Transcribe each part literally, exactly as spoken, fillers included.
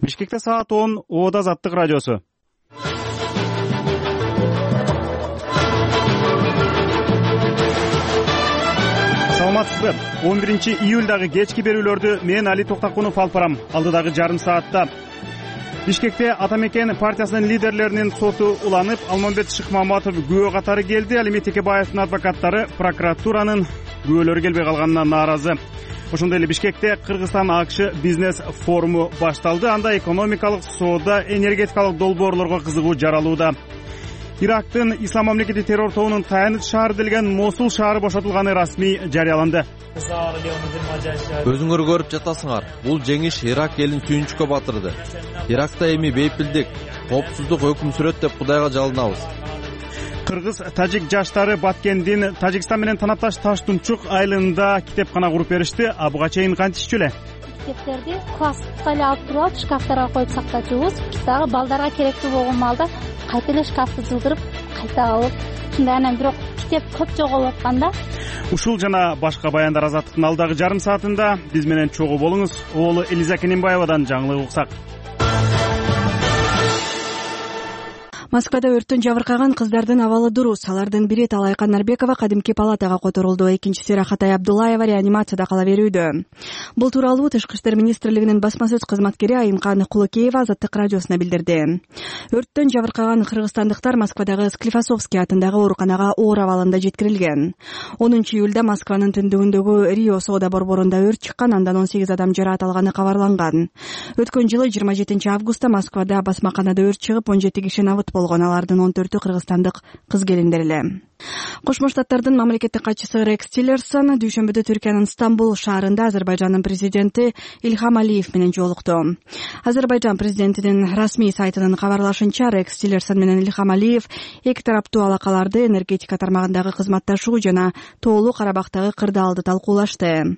Бишкекте саат он, Ода Азаттык радиосу. Саламатсызбы? он биринчи июлдагы кечки берүүлөрдү мен Али Токтакунов алып барам. Алдыдагы жарым саатта Бишкекте Ата Мекен партиясынын лидерлеринин соту уланып, Алмамбет Шыкмаматов күбө катары келди. Алимет Текебаевдин адвокаттары прокуратуранын күбөлөрү келбей калганына нааразы. Ошондой эле Бишкекте Кыргызстан АКШ бизнес форуму башталды. Анда экономикалык, соода, энергетикалык долбоорлорго кызыгуу жаралууда. Ирактын Ислам мамлекети террор тобунун таяныч шаары делген Мосул шаары бошотулганы расмий жарыяланды. Өзүңөр көрүп жатасыңар. Бул жеңиш Ирак элин сүйүнчүккө батырды. Иракта эми бейпилдик, коопсуздук өкүм сүрөт деп Кудайга жалынабыз. Кыргыз-тажик жаштары Баткендин Тажикстан менен танапташ Таштумчук айылында китепкана куруп беришти. А буга чейин кантишчү эле? Китептерди класста эле алып туруп алып шкафтарга коюп сактачубуз. Дагы балдарга керектүү болгон маалда кайта эле шкафты жылдырып, кайта алып, ушундай. Анан бирок китеп көп жоголуп атканда. Ушул жана башка баяндар Азаттыктын алдагы жарым саатында биз менен чогуу болуңуз. Оолу Элиза Кененбаевадан жаңылык уксак. Москвада өрттөн жабыркаган кыздардын абалы дурус. Алардын бири Талайкан Нарбекова кадимки палатага которулду. Экинчиси Рахатай Абдуллаева реанимацияда кала берүүдө. Бул тууралуу Тышкы иштер министрлигинин басма сөз кызматкери Айымкан Кулукеева Азаттык радиосуна билдирди. Өрттөн жабыркаган кыргызстандыктар Москвадагы Склифосовский атындагы ооруканага оор абалында жеткирилген. онунчу июлда Москванын түндүгүндөгү Рио соода борборунда өрт чыккан, андан он сегиз адам жаракат алганы кабарланган. Өткөн жылы жыйырма жетинчи августта Москвада басмаканада өрт чыгып, он жети киши набыт болгон. Алардын он төртү кыргызстандык кыз-келиндер эле. Кошмо Штаттардын мамлекеттик катчысы Рекс Тиллерсон дүйшөмбүдө Түркиянын Стамбул шаарында Азербайжандын президенти Ильхам Алиев менен жолукту. Азербайжан президентинин расмий сайтынын кабарлашынча, Рекс Тиллерсон менен Ильхам Алиев эки тараптуу алакаларды, энергетика тармагындагы кызматташуу жана Тоолуу Карабактагы кырдаалды талкуулашты.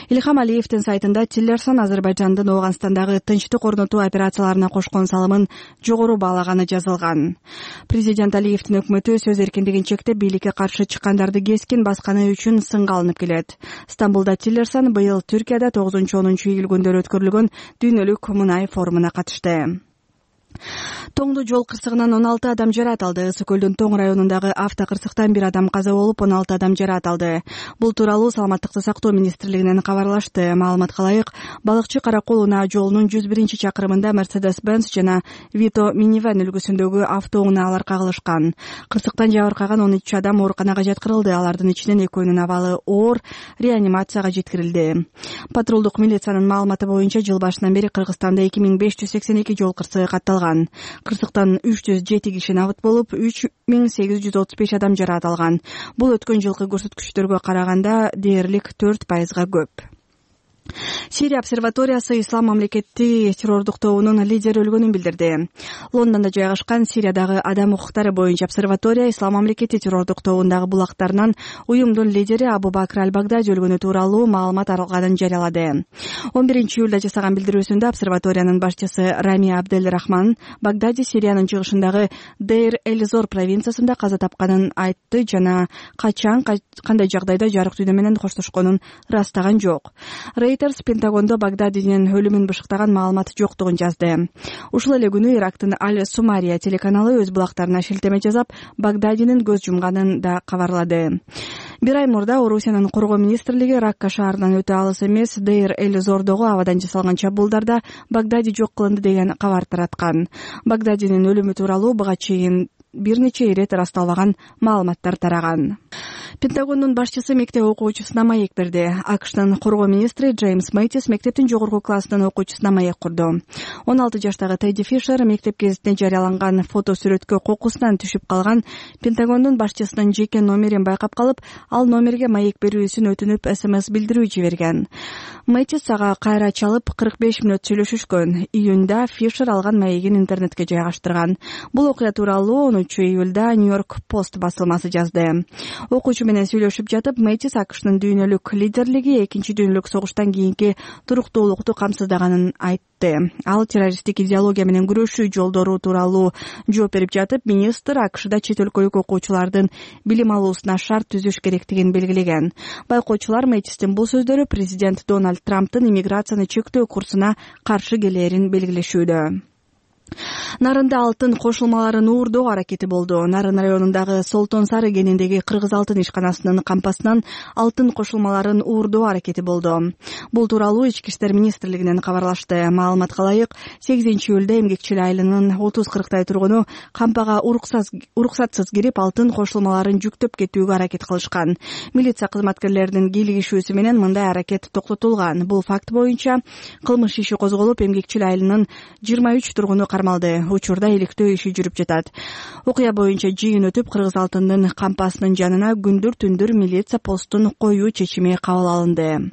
Ильхам Алиевдин сайтында Тиллерсон Азербайжандын Ооганстандагы тынчтык орнотуу операцияларына кошкон салымын жогору баалаганы жазылган. Президент Алиевдин өкмөтү сөз эркиндигин чектеп, бийликке каршы чыккандарды кескин басканы үчүн сынга алынып келет. Стамбулда Тиллерсон быйыл Түркияда тогузунчу онунчу июль күндөрү өткөрүлгөн дүйнөлүк мунай форумуна катышты. Тоңду жол кырсыгынан он алты адам жаракат алды. Ысык көлдүн Тоң районундагы автокырсыктан бир адам каза болуп, он алты адам жаракат алды. Бул тууралуу Саламаттыкты сактоо министрлигинен кабарлашты. Маалыматка ылайык, Балыкчы Каракол унаа жолунун жүз биринчи чакырымында Mercedes-Benz жана Vito минивэн үлгүсүндөгү автоунаалар кагылышкан. Кырсыктан жабыркаган он үч адам ооруканага жаткырылды. Алардын ичинен экөөнүн абалы оор, реанимацияга жеткирилди. Патрулдук милициянын маалыматы боюнча, жыл башынан бери Кыргызстанда эки миң беш жүз сексен эки жол кырсыгы катталган. Кырсыктан үч жүз жети киши набыт болуп, үч миң сегиз жүз отуз беш адам жаракат алган. Бул өткөн жылкы көрсөткүчтөргө караганда дээрлик төрт пайызга көп. Сирия обсерваториясы Ислам мамлекети террордук тобунун лидери өлгөнүн билдирди. Лондондо жайгашкан Сириядагы адам укуктары боюнча обсерватория Ислам мамлекети террордук тобундагы булактарынан уюмдун лидери Абу Бакр аль-Багдади өлгөнү тууралуу маалымат алганын жарыялады. он биринчи июлда жасаган билдирүүсүндө обсерваториянын башчысы Рами Абдель Рахман Багдади Сириянын чыгышындагы Дейр-эль-Зор провинциясында каза тапканын айтты жана качан, кандай жагдайда жарык дүйнө менен коштошконун ырастаган жок. Reuters Пентагондо Багдадинин өлүмүн бышыктаган маалымат жоктугун жазды. Ушул эле күнү Ирактын Аль-Сумария телеканалы өз булактарына шилтеме жасап, Багдадинин көз жумганын да кабарлады. Бир ай мурда Орусиянын коргоо министрлиги Ракка шаарынан өтө алыс эмес Дейр-эль-Зордогу абадан жасалган чабуулдарда Багдади жок кылынды деген кабар тараткан. Багдадинин өлүмү тууралуу буга чейин бир нече ирет ырасталбаган маалыматтар тараган. Пентагондун башчысы мектеп окуучусуна маек берди. АКШтын коргоо министри Джеймс Мэйтис мектептин жогорку класснын окуучусуна маек курду. он алты жаштагы Тедди Фишер мектеп гезитине жарыяланган фото сүрөткө кокусунан түшүп калган Пентагондун башчысынын жеке номерин байкап калып, ал номерге маек берүүсүн өтүнүп эс эм эс билдирүү жиберген. Мэйтис ага кайра чалып кырк беш мүнөт сүйлөшүшкөн. Июнда Фишер алган маегин интернетке жайгаштырган. Бул окуя тууралуу он онунчу июлда Нью-Йорк Пост басылмасы жазды. Окуучу менен сүйлөшүп жатып, Мэтис АКШнын дүйнөлүк лидерлиги экинчи дүйнөлүк согуштан кийинки туруктуулукту камсыздаганын айтты. Ал террористтик идеология менен күрөшүү жолдору тууралуу жооп берип жатып, министр АКШда чет өлкөлүк окуучулардын билим алуусуна шарт түзүш керектигин белгилеген. Байкоочулар Мэтистин бул сөздөрү президент Дональд Трамптын иммиграцияны чектөө курсуна каршы келээрин белгилешүүдө. Нарында алтын кошулмаларын уурдоо аракети болду. Нарын районундагы Солтон Сары кениндеги Кыргыз алтын ишканасынын кампасынан алтын кошулмаларын уурдоо аракети болду. Бул тууралуу Ички иштер министрлигинен кабарлашты. Маалыматка ылайык, сегизинчи июлда Эмгекчил айылынын отуз кырктай тургуну кампага уруксатсыз кирип, алтын кошулмаларын жүктөп кетүүгө аракет кылышкан. Милиция кызматкерлеринин кийлигишүүсү менен мындай аракет токтотулган. Бул факт боюнча кылмыш иши козголуп, Эмгекчил айылынын жыйырма үч тургуну кармалды. Учурда иликтөө иши жүрүп жатат. Окуя боюнча жыйын өтүп, Кыргыз алтынынын кампасынын жанына күндүр түндүр милиция постун коюу чечими кабыл алынды.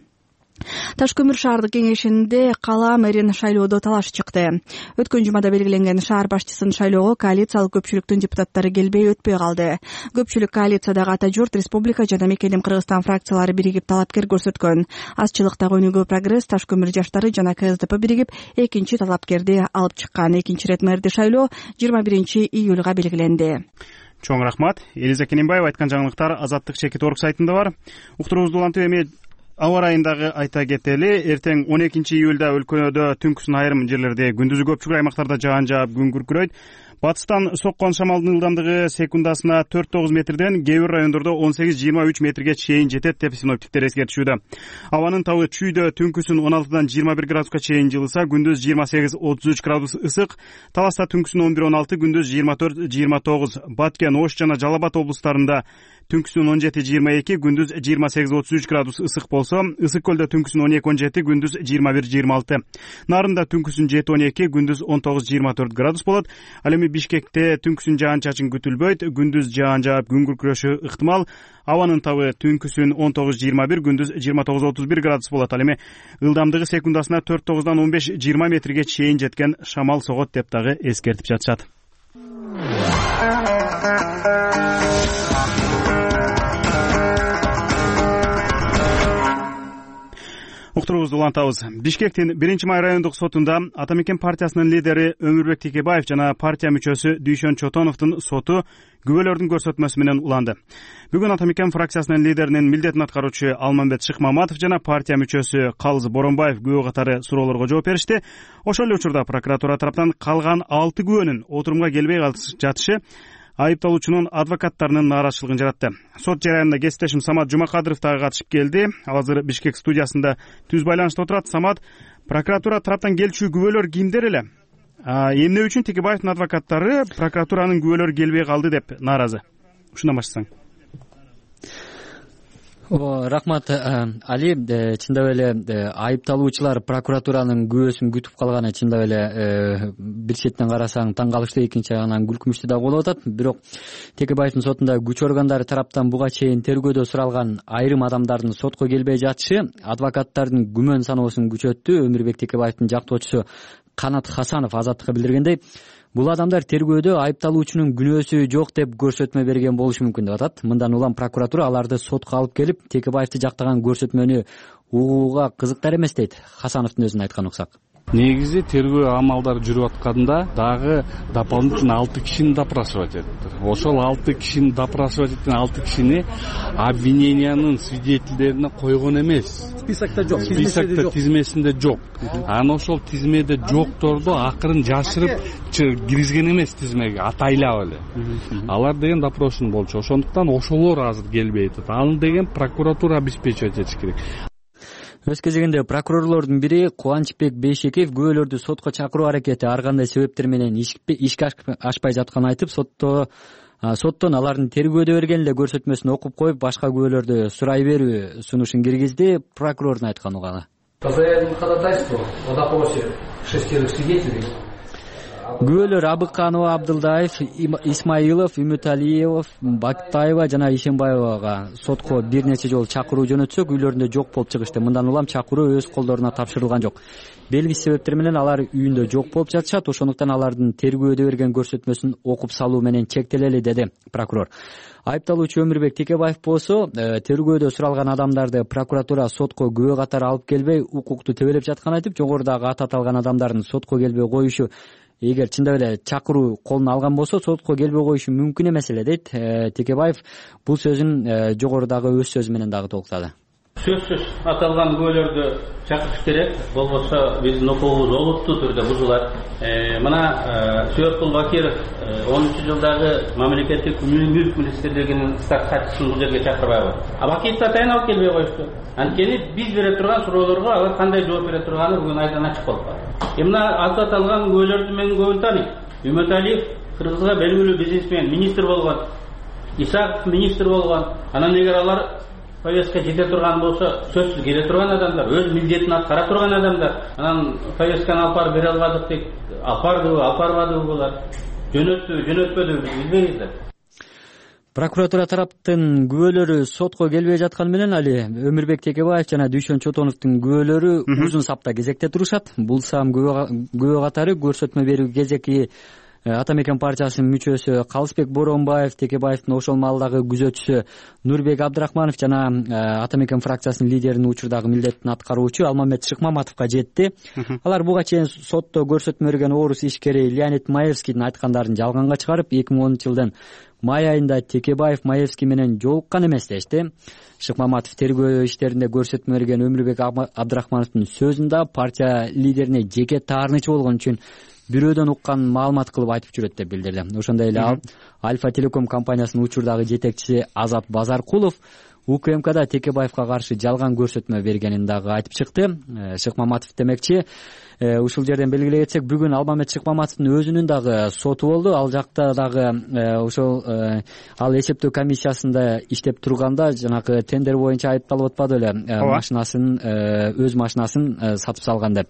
Таш көмүр шаардык кеңешинде кала мэрин шайлоодо талаш чыкты. Өткөн жумада белгиленген шаар башчысын шайлоого коалициялык көпчүлүктүн депутаттары келбей өтпөй калды. Көпчүлүк коалициядагы Ата журт, Республика жана Мекеним Кыргызстан фракциялары биригип талапкер көрсөткөн. Азчылыктагы Өнүгүү Прогресс, Таш көмүр жаштары жана КСДП биригип экинчи талапкерди алып чыккан. Экинчи ирет мэрди шайлоо жыйырма биринчи июлга белгиленди. Чоң рахмат. Элиза Кененбаева айткан жаңылыктар Азаттык чекит орг сайтында бар. Уктуруубузду улантып эми аба ырайындагы айта кетели. Эртең он экинчи июлда өлкөдө түнкүсүн айрым жерлерде, күндүзү көпчүлүк аймактарда жаан жаап, күн күркүрөйт. Батыстан соккон шамалдын ылдамдыгы секундасына төрт тогуз метрден, кээ бир райондордо он сегиз жыйырма үч метрге чейин жетет деп синоптиктер эскертишүүдө. Абанын табы чүйдө түнкүсүн он алтыдан жыйырма бир градуска чейин жылыса, күндүз жыйырма сегиз отуз үч градус ысык. Таласта түнкүсүн он бир он алты, күндүз жыйырма төрт жыйырма тогуз. Баткен, Ош жана Жалал Абад облустарында түнкүсүн он жети жыйырма эки, күндүз жыйырма сегиз отуз үч градус ысык болсо, Ысык көлдө түнкүсүн он эки он жети, күндүз жыйырма бир жыйырма алты. Нарында түнкүсүн жети он эки, күндүз он тогуз жыйырма төрт градус болот. Ал эми Бишкекте түнкүсүн жаан-чачын күтүлбөйт, күндүз жаан жаап, күн күркүрөшү ыктымал. Абанын табы түнкүсүн он тогуз жыйырма бир, күндүз жыйырма тогуз отуз бир градус болот. Ал эми ылдамдыгы секундасына төрт тогуздан он беш жыйырма метрге чейин жеткен шамал согот деп дагы эскертип жатышат. Уктуруубузду улантабыз. Бишкектин биринчи май райондук сотунда Ата Мекен партиясынын лидери Өмүрбек Текебаев жана партия мүчөсү Дүйшөн Чотоновдун соту күбөлөрдүн көрсөтмөсү менен уланды. Бүгүн Ата Мекен фракциясынын лидеринин милдетин аткаруучу Алмамбет Шыкмаматов жана партия мүчөсү Калыз Боронбаев күбө катары суроолорго жооп беришти. Ошол эле учурда прокуратура тараптан калган алты күбөнүн отурумга келбей жатышы айыпталуучунун адвокаттарынын нааразычылыгын жаратты. Сот жараянына кесиптешим Самат Жумакадыров дагы катышып келди. Ал азыр Бишкек студиясында түз байланышта отурат. Самат, прокуратура тараптан келчү күбөлөр кимдер эле? Эмне үчүн Текебаевдин адвокаттары прокуратуранын күбөлөрү келбей калды деп нааразы? Ушундан баштасаң. Рахмат, Али. Чындап эле айыпталуучулар прокуратуранын күбөсүн күтүп калганы чындап эле бир четинен карасаң таң калыштуу, экинчи жагынан күлкүмүштүү да болуп атат. Бирок Текебаевдин сотунда күч органдары тараптан буга чейин тергөөдө суралган айрым адамдардын сотко келбей жатышы адвокаттардын күмөн саноосун күчөттү. Өмүрбек Текебаевдин жактоочусу Канат Хасанов Азаттыкка билдиргендей, бул адамдар тергөөдө айыпталуучунун күнөөсү жок деп көрсөтмө берген болушу мүмкүн деп атат. Мындан улам прокуратура аларды сотко алып келип, Текебаевди жактаган көрсөтмөнү угууга кызыктар эмес дейт. Хасановдун өзүнө айткан уксак. Негизи тергөө амалдары жүрүп атканда дагы дополнительно алты кишини допрашивать этти. Ошол алты кишини допрашивать эткен алты кишини обвинениянын свидетелдерине койгон эмес. Списокто жок. Списокто тизмесинде жок. Аны ошол тизмеде жокторду акырын жашырып киргизген эмес тизмеге, атайлап эле. Алар деген допрошен болчу. Ошондуктан ошолор азыр келбей атат. Аны деген прокуратура обеспечивать этиш керек. Өз кезегинде прокурорлордун бири Кубанычбек Бейшекеев күбөлөрдү сотко чакыруу аракети ар кандай себептер менен ишке ашпай жатканын айтып, сотто соттон алардын тергөөдө берген эле көрсөтмөсүн окуп коюп, башка күбөлөрдү сурай берүү сунушун киргизди. Прокурордун айткан уганы. По заявлению ходатайству в допросе шестерых свидетелей күбөлөр Абыканова, Абдылдаев, Исмаилов, Үмүталиев, Бактаева жана Ишенбаевага сотко бир нече жолу чакыруу жөнөтсөк, үйлөрүндө жок болуп чыгышты. Мындан улам чакыруу өз колдоруна тапшырылган жок. Белгисиз себептер менен алар үйүндө жок болуп жатышат. Ошондуктан алардын тергөөдө берген көрсөтмөсүн окуп салуу менен чектелели, деди прокурор. Айыпталуучу Өмүрбек Текебаев болсо, тергөөдө суралган адамдарды прокуратура сотко күбө катары алып келбей, укукту тебелеп жатканын айтып, жогорудагы аты аталган адамдардын сотко келбей коюшу, эгер чындап эле чакыруу колуна алган болсо, сотко келбей коюшу мүмкүн эмес эле, дейт Текебаев. Бул сөзүн жогорудагы өз сөзү менен дагы толуктады. Сөзсүз аталган күбөлөрдү чакырыш керек, болбосо биздин укугубуз олуттуу түрдө бузулат. Мына Сүйөткул Бакиров онунчу жылдагы мамлекеттик мүлк министрлигинин штат катчысын бул жерге чакырбайбы? А Бакировду атайын алып келбей коюшту. Анткени биз бере турган суроолорго алар кандай жооп бере турганы бүгүн айдан ачык болуп калды. Мына аты аталган күбөлөрдү мен көбүн тааныйм. Үмүталиев Кыргызга белгилүү бизнесмен, министр болгон. Исаков министр болгон. Анан эгер алар повестка жете турган болсо, сөзсүз келе турган адамдар, өз милдетин аткара турган адамдар, анан повестканы алып барып бере албадык дейт. Алып бардыбы, алып барбадыбы булар? Жөнөттүбү, жөнөтпөдүбү билбейбиз да. Прокуратура тараптын күбөлөрү сотко келбей жатканы менен Али Өмүрбек Текебаев жана Дүйшөн Чотоновдун күбөлөрү узун сапта кезекте турушат. Бул сам күбө катары көрсөтмө берүү кезеки Атамекен партиясынын мүчөсү Калысбек Боронбаев, Текебаевдин ошол маалдагы күзөтчүсү Нурбек Абдрахманов жана Атамекен фракциясынын лидеринин учурдагы милдетин аткаруучу Алмамет Шыкмаматовго жетти. Алар буга чейин сотто көрсөтмө берген орус ишкери Леонид Маевскийдин айткандарын жалганга чыгарып, эки миң онунчу жылдын май айында Текебаев Маевский менен жолуккан эмес дешти. Шыкмаматов тергөө иштеринде көрсөтмө берген Өмүрбек Абдрахмановдун сөзүндө партия лидерине жеке таарынычы болгон үчүн бирөөдөн уккан маалымат кылып айтып жүрөт деп билдирди. Ошондой эле ал Альфа Телеком компаниясынын учурдагы жетекчиси Азат Базаркулов УКМКда Текебаевга каршы жалган көрсөтмө бергенин дагы айтып чыкты. Шыкмаматов демекчи, ушул жерден белгилей кетсек, бүгүн Алмамет Шыкмаматовдун өзүнүн дагы соту болду. Ал жакта дагы ошол ал эсептөө комиссиясында иштеп турганда жанагы тендер боюнча айыпталып атпады эле, машинасын өз машинасын сатып салган деп.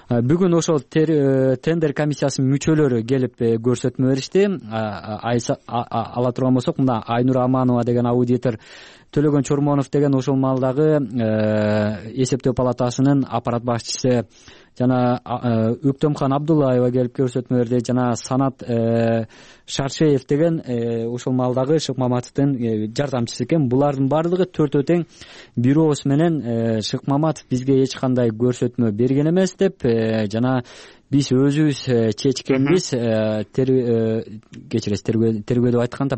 Бүгүн ошол тендер комиссиясынын мүчөлөрү келип көрсөтмө беришти. Ала турган болсок, мына Айнур Аманова деген аудитор, Төлөгөн Чормонов деген ошол маалдагы эсептөө палатасынын аппарат башчысы жана Өктөмхан Абдуллаева келип көрсөтмө берди, жана Санат Шаршеев деген ошол маалдагы Шыкмаматовдун жардамчысы экен. Булардын баардыгы төртөө тең бир ооз менен Шыкмаматов бизге эч кандай көрсөтмө берген эмес деп жана биз өзүбүз чечкенбиз, кечиресиз, тергөө деп айтканда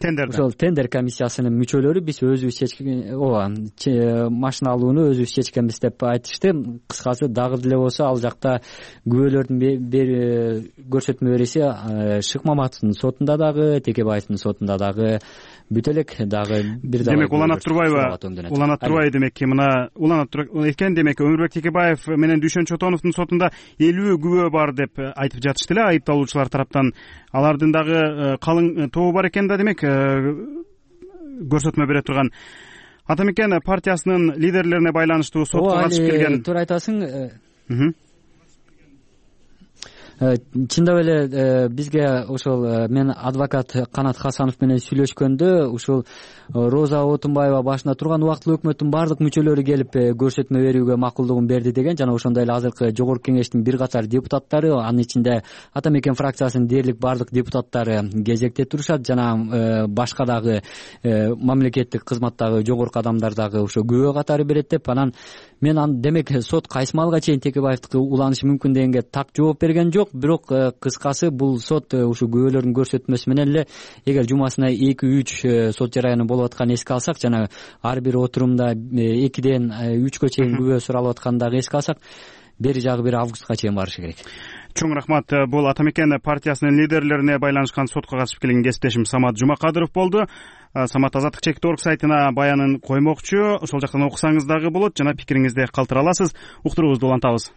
тендер ошол тендер комиссиясынын мүчөлөрү биз өзүбүз чечкен, ооба, машина алууну өзүбүз чечкенбиз деп айтышты. Кыскасы, дагы деле болсо ал жакта күбөлөрдүн көрсөтмө бериши Шыкмаматовдун сотунда дагы, Текебаевдин сотунда дагы бүт элек, дагы бир дагы демек уланат турбайбы? Уланат турбайбы демек, мына уланат экен. Демек Өмүрбек Текебаев менен Дүйшөн Чотоновдун сотунда элүү күбө бар деп айтып жатышты эле айыпталуучулар тараптан. Алардын дагы калың тобу бар экен да, демек көрсөтмө бере турган. Атамекен партиясынын лидерлерине байланыштуу сотко катышып келген. Туура айтасың. Чындап эле бизге ошол мен адвокат Канат Хасанов менен сүйлөшкөндө ушул Роза Отунбаева башында турган убактылуу өкмөттүн баардык мүчөлөрү келип көрсөтмө берүүгө макулдугун берди деген, жана ошондой эле азыркы жогорку кеңештин бир катар депутаттары, анын ичинде Атамекен фракциясынын дээрлик баардык депутаттары кезекте турушат, жана башка дагы мамлекеттик кызматтагы жогорку адамдар дагы ошо күбө катары берет деп. Анан мен аны демек сот кайсы маалга чейин Текебаевдики уланышы мүмкүн дегенге так жооп берген жок. Бирок кыскасы, бул сот ушу күбөлөрдүн көрсөтмөсү менен эле, эгер жумасына эки үч сот жараяны болуп атканын эске алсак, жана ар бир отурумда экиден үчкө чейин күбө суралып атканын дагы эске алсак, бери жагы бир августка чейин барышы керек. Чоң рахмат. Бул Атамекен партиясынын лидерлерине байланышкан сотко катышып келген кесиптешим Самат Жумакадыров болду. Самат азаттык чекит орг сайтына баянын коймокчу. Ошол жактан окусаңыз дагы болот, жана пикириңизди калтыра аласыз. Уктуруубузду улантабыз.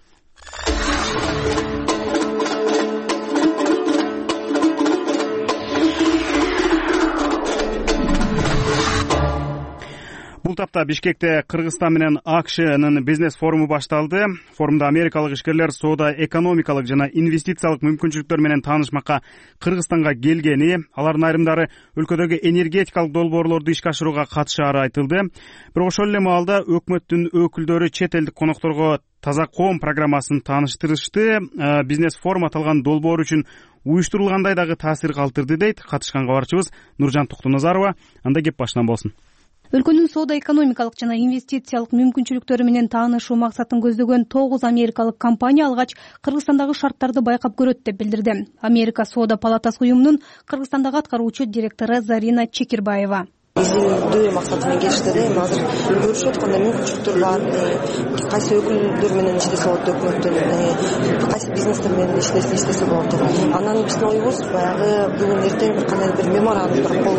Бул апта Бишкекте Кыргызстан менен АКШнын бизнес форуму башталды. Форумда америкалык ишкерлер соода, экономикалык жана инвестициялык мүмкүнчүлүктөр менен таанышмакка Кыргызстанга келгени, алардын айрымдары өлкөдөгү энергетикалык долбоорлорду ишке ашырууга катышаары айтылды. Бирок ошол эле маалда өкмөттүн өкүлдөрү чет элдик конокторго Таза коом программасын тааныштырышты. Бизнес форум аталган долбоор үчүн уюштурулгандай дагы таасир калтырды дейт катышкан кабарчыбыз Нуржан Токтоназарова. Анда кеп башынан болсун. Өлкөнүн соода, экономикалык жана инвестициялык мүмкүнчүлүктөрү менен таанышуу максатын көздөгөн тогуз америкалык компания алгач Кыргызстандагы шарттарды байкап көрөт деп билдирди. Америка соода палатасы уюмунун Кыргызстандагы аткаруучу директору Зарина Чекирбаева. Изилдөө максаты менен келишти да, эми азыр көрүшүп аткандай мүмкүнчүлүктөр бар, кайсы өкүлдөр менен иштесе болот, өкмөттүн кайсы бизнестер менен иштесе иштесе болот деп. Анан биздин оюбуз баягы бүгүн эртең бир кандай бир меморандумдар кол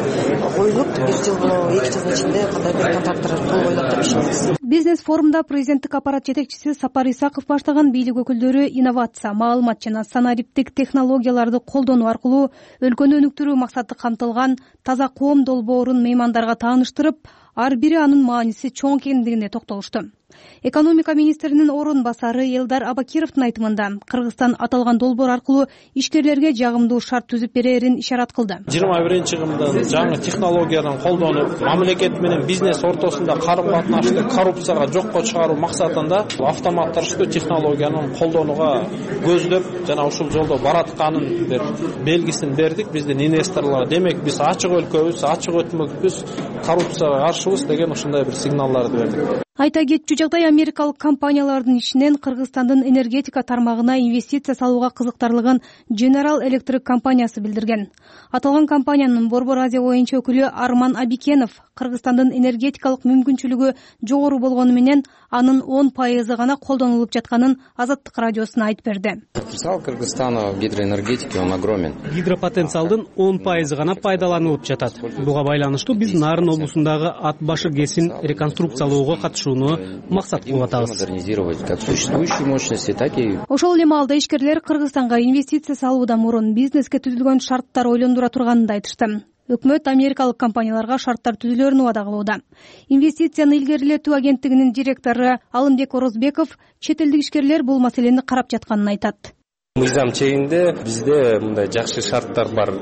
коюлуп, бир жыл эки жылдын ичинде кандай бир контракттар кол коюлат деп ишенебиз. Бизнес форумда президенттик аппарат жетекчиси Сапар Исаков баштаган бийлик өкүлдөрү инновация, маалымат жана санариптик технологияларды колдонуу аркылуу өлкөнү өнүктүрүү максаты камтылган таза коом долбоорун меймандарга тааныштырып, ар бири анын мааниси чоң экендигине токтолушту. Экономика министринин орун басары Элдар Абакировдун айтымында Кыргызстан аталган долбоор аркылуу ишкерлерге жагымдуу шарт түзүп берерин ишарат кылды. жыйырма биринчи кылымдын жаңы технологияны колдонуп, мамлекет менен бизнес ортосунда карым-катнашты коррупцияга жокко чыгаруу максатында автоматташтыруу технологияны колдонууга көздөп жана ушул жолдо баратканын бир белгисин бердик биздин инвесторлорго. Демек биз ачык өлкөбүз, ачык өтмөкпүз, коррупцияга каршыбыз деген ушундай бир сигналдарды бердик. Айта кетчү жагдай, америкалык компаниялардын ичинен Кыргызстандын энергетика тармагына инвестиция салууга кызыктарлыгын General Electric компаниясы билдирген. Аталган компаниянын Борбор Азия боюнча өкүлү Арман Абикенов Кыргызстандын энергетикалык мүмкүнчүлүгү жогору болгону менен анын он пайызы гана колдонулуп жатканын Азаттык радиосуна айтып берди. Потенциал Кыргызстана в гидроэнергетике он огромен. Гидропотенциалдын он пайызы гана пайдаланылып жатат. Буга байланыштуу биз Нарын облусундагы Ат башы ГЭСин реконструкциялоого катышууну максат кылып атабыз. Модернизировать как существующие мощности, так и. Ошол эле маалда ишкерлер Кыргызстанга инвестиция салуудан мурун бизнеске түзүлгөн шарттар ойлондура турганын да айтышты. Өкмөт америкалык компанияларга шарттар түзүлөрүн убада кылууда. Инвестицияны илгерилетүү агенттигинин директору Алымбек Орозбеков чет элдик ишкерлер бул маселени карап жатканын айтат. Мыйзам чегинде бизде мындай жакшы шарттар бар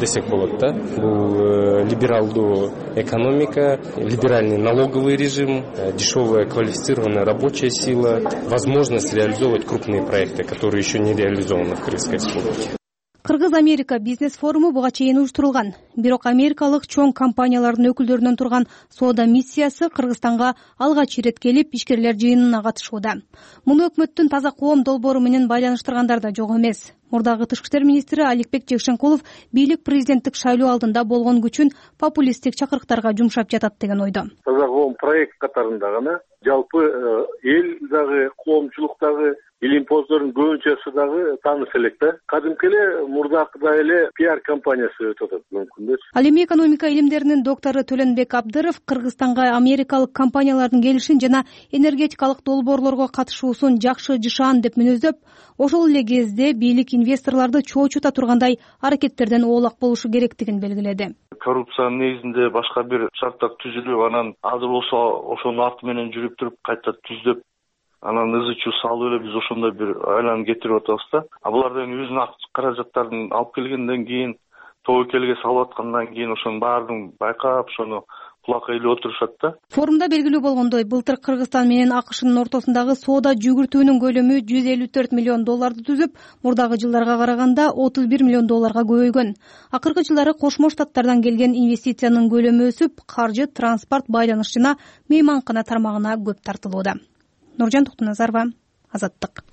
десек болот да. Бул либералдуу экономика, либеральный налоговый режим, дешевая квалифицированная рабочая сила, возможность реализовывать крупные проекты, которые еще не реализованы в Кыргызской республике. Кыргыз-Америка бизнес форуму буга чейин уюштурулган. Бирок америкалык чоң компаниялардын өкүлдөрүнөн турган соода миссиясы Кыргызстанга алгач ирет келип, ишкерлер жыйынына катышууда. Муну өкмөттүн таза коом долбоору менен байланыштыргандар да жок эмес. Мурдагы тышкы иштер министри Аликбек Жекшенкулов бийлик президенттик шайлоо алдында болгон күчүн популисттик чакырыктарга жумшап жатат деген ойдо. Таза коом проект катарында гана жалпы эл дагы, коомчулуктагы илимпоздордун көбүнчөсү дагы тааныш элек да. Кадимки эле мурдакыдай эле пиар компаниясы өтүп атат мүмкүн. Ал эми экономика илимдеринин доктору Төлөнбек Абдыров Кыргызстанга америкалык компаниялардын келишин жана энергетикалык долбоорлорго катышуусун жакшы жышаан деп мүнөздөп, ошол эле кезде бийлик инвесторлорду чоочута тургандай аракеттерден оолак болушу керектигин белгиледи. Коррупциянын негизинде башка бир шарттар түзүлүп, анан азыр болсо ошонун арты менен жүрүп туруп кайта түздөп, анан ызы чуу салып эле биз ошондой бир айланып кетирип атабыз да. А булардан өзүнүн акча каражаттарын алып келгенден кийин, тобокелге салып аткандан кийин ошонун баарын байкап, ошону кулакка илип отурушат да. Форумда белгилүү болгондой, былтыр Кыргызстан менен АКШнын ортосундагы соода жүгүртүүнүн көлөмү жүз элүү төрт миллион долларды түзүп, мурдагы жылдарга караганда отуз бир миллион долларга көбөйгөн. Акыркы жылдары Кошмо Штаттардан келген инвестициянын көлөмү өсүп, каржы, транспорт, байланыш жана мейманкана тармагына көп тартылууда. Нуржан Токтоназарова, Азаттык.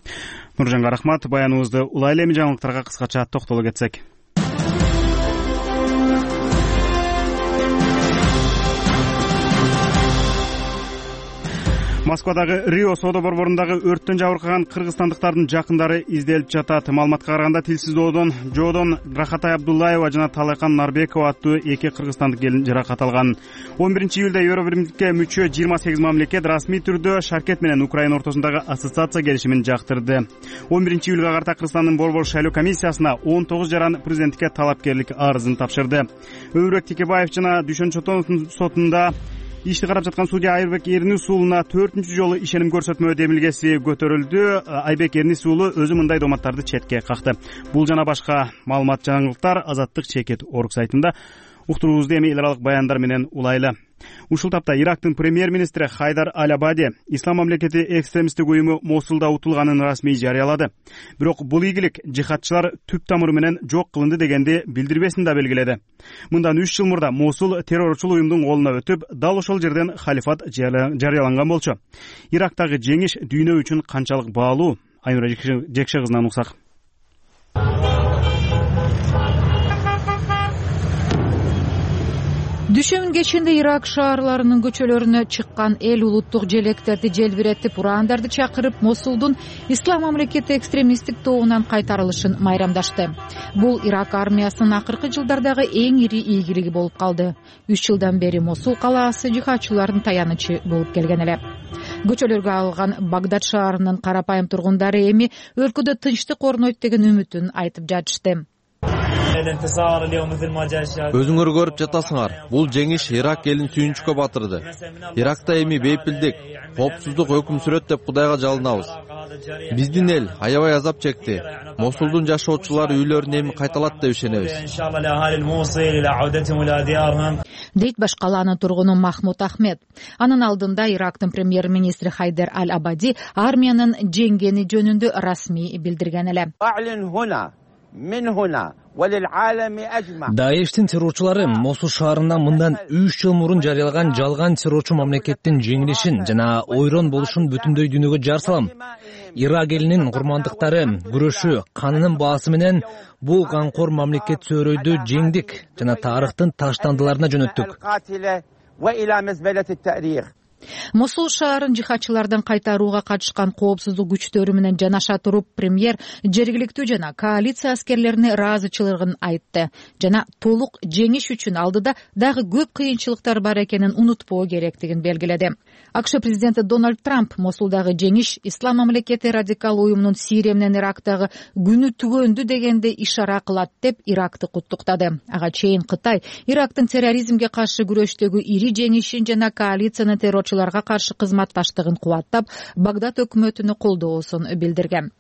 Нуржанга рахмат. Баяныбызды улай эле эми жаңылыктарга кыскача токтоло кетсек. Москвадагы Рио соода борборундагы өрттөн жабыркаган кыргызстандыктардын жакындары изделип жатат. Маалыматка караганда Тилсиз доодон жоодон Рахатай Абдуллаева жана Талайкан Нарбекова аттуу эки кыргызстандык келин жаракат алган. он биринчи июлда Евробиримдикке мүчө жыйырма сегиз мамлекет расмий түрдө Шаркет менен Украина ортосундагы ассоциация келишимин жактырды. он биринчи июлга карата Кыргызстандын борбор шайлоо комиссиясына он тогуз жаран президенттикке талапкерлик арызын тапшырды. Өмүрбек Текебаев жана Дүйшөн Чотоновдун сотунда ишти карап жаткан судья Айбек Эрнис уулуна төртүнчү жолу ишеним көрсөтмө демилгеси көтөрүлдү. Айбек Эрнис уулу өзү мындай дооматтарды четке какты. Бул жана башка маалымат жаңылыктар Азаттык чекит орг сайтында. Уктуруубузду эми эл аралык баяндар менен улайлы. Ушул тапта Ирактын премьер-министри Хайдар Аль-Абади Ислам мамлекети экстремисттик уюму Мосулда утулганын расмий жарыялады. Бирок бул ийгилик жихадчылар түп тамыры менен жок кылынды дегенди билдирбесин да белгиледи. Мындан үч жыл мурда Мосул террорчул уюмдун колуна өтүп, дал ошол жерден халифат жарыяланган болчу. Ирактагы жеңиш дүйнө үчүн канчалык баалуу? Айнура Жекше кызынан уксак. Дүшөмүн кечинде Ирак шаарларынын көчөлөрүнө чыккан эл улуттук желектерди желбиретип, урандарды чакырып, Мосулдун Ислам мамлекети экстремисттик тобунан кайтарылышын майрамдашты. Бул Ирак армиясынын акыркы жылдардагы эң ири ийгилиги болуп калды. Үч жылдан бери Мосул калаасы жихадчылардын таянычы болуп келген эле. Көчөлөргө алган Багдад шаарынын карапайым тургундары эми өлкөдө тынчтык орнойт деген үмүтүн айтып жатышты. Өзүңөр көрүп жатасыңар, бул жеңиш Ирак элин сүйүнчүккө батырды. Иракта эми бейпилдик, коопсуздук өкүм сүрөт деп Кудайга жалынабыз. Биздин эл аябай азап чекти. Мосулдун жашоочулары үйлөрүнө эми кайталат деп ишенебиз. Дейт баш калаанын тургуну Махмуд Ахмед. Анын алдында Ирактын премьер-министри Хайдар Аль-Абади армиянын жеңгени жөнүндө расмий билдирген эле. Даиштин террорчулары Мосул шаарында мындан үч жыл мурун жарыялаган жалган террорчу мамлекеттин жеңилишин жана ойрон болушун бүтүндөй дүйнөгө жар салам. Ирак элинин курмандыктары күрөшү канынын баасы менен бул канкор мамлекет сөөрөйдү жеңдик жана тарыхтын таштандыларына жөнөттүк. Мосул шаарын жихадчылардан кайтарууга катышкан коопсуздук күчтөрү менен жанаша туруп, премьер жергиликтүү жана коалиция аскерлерине ыраазычылыгын айтты жана толук жеңиш үчүн алдыда дагы көп кыйынчылыктар бар экенин унутпоо керектигин белгиледи. АКШ президенти Дональд Трамп Мосулдагы жеңиш Ислам мамлекети радикал уюмунун Сирия менен Ирактагы күнү түгөндү дегенде ишара кылат деп Иракты куттуктады. Ага чейин Кытай Ирактын терроризмге каршы күрөштөгү ири жеңишин жана коалициянын террорчуларга каршы кызматташтыгын кубаттап, Багдад өкмөтүнө колдоосун билдирген.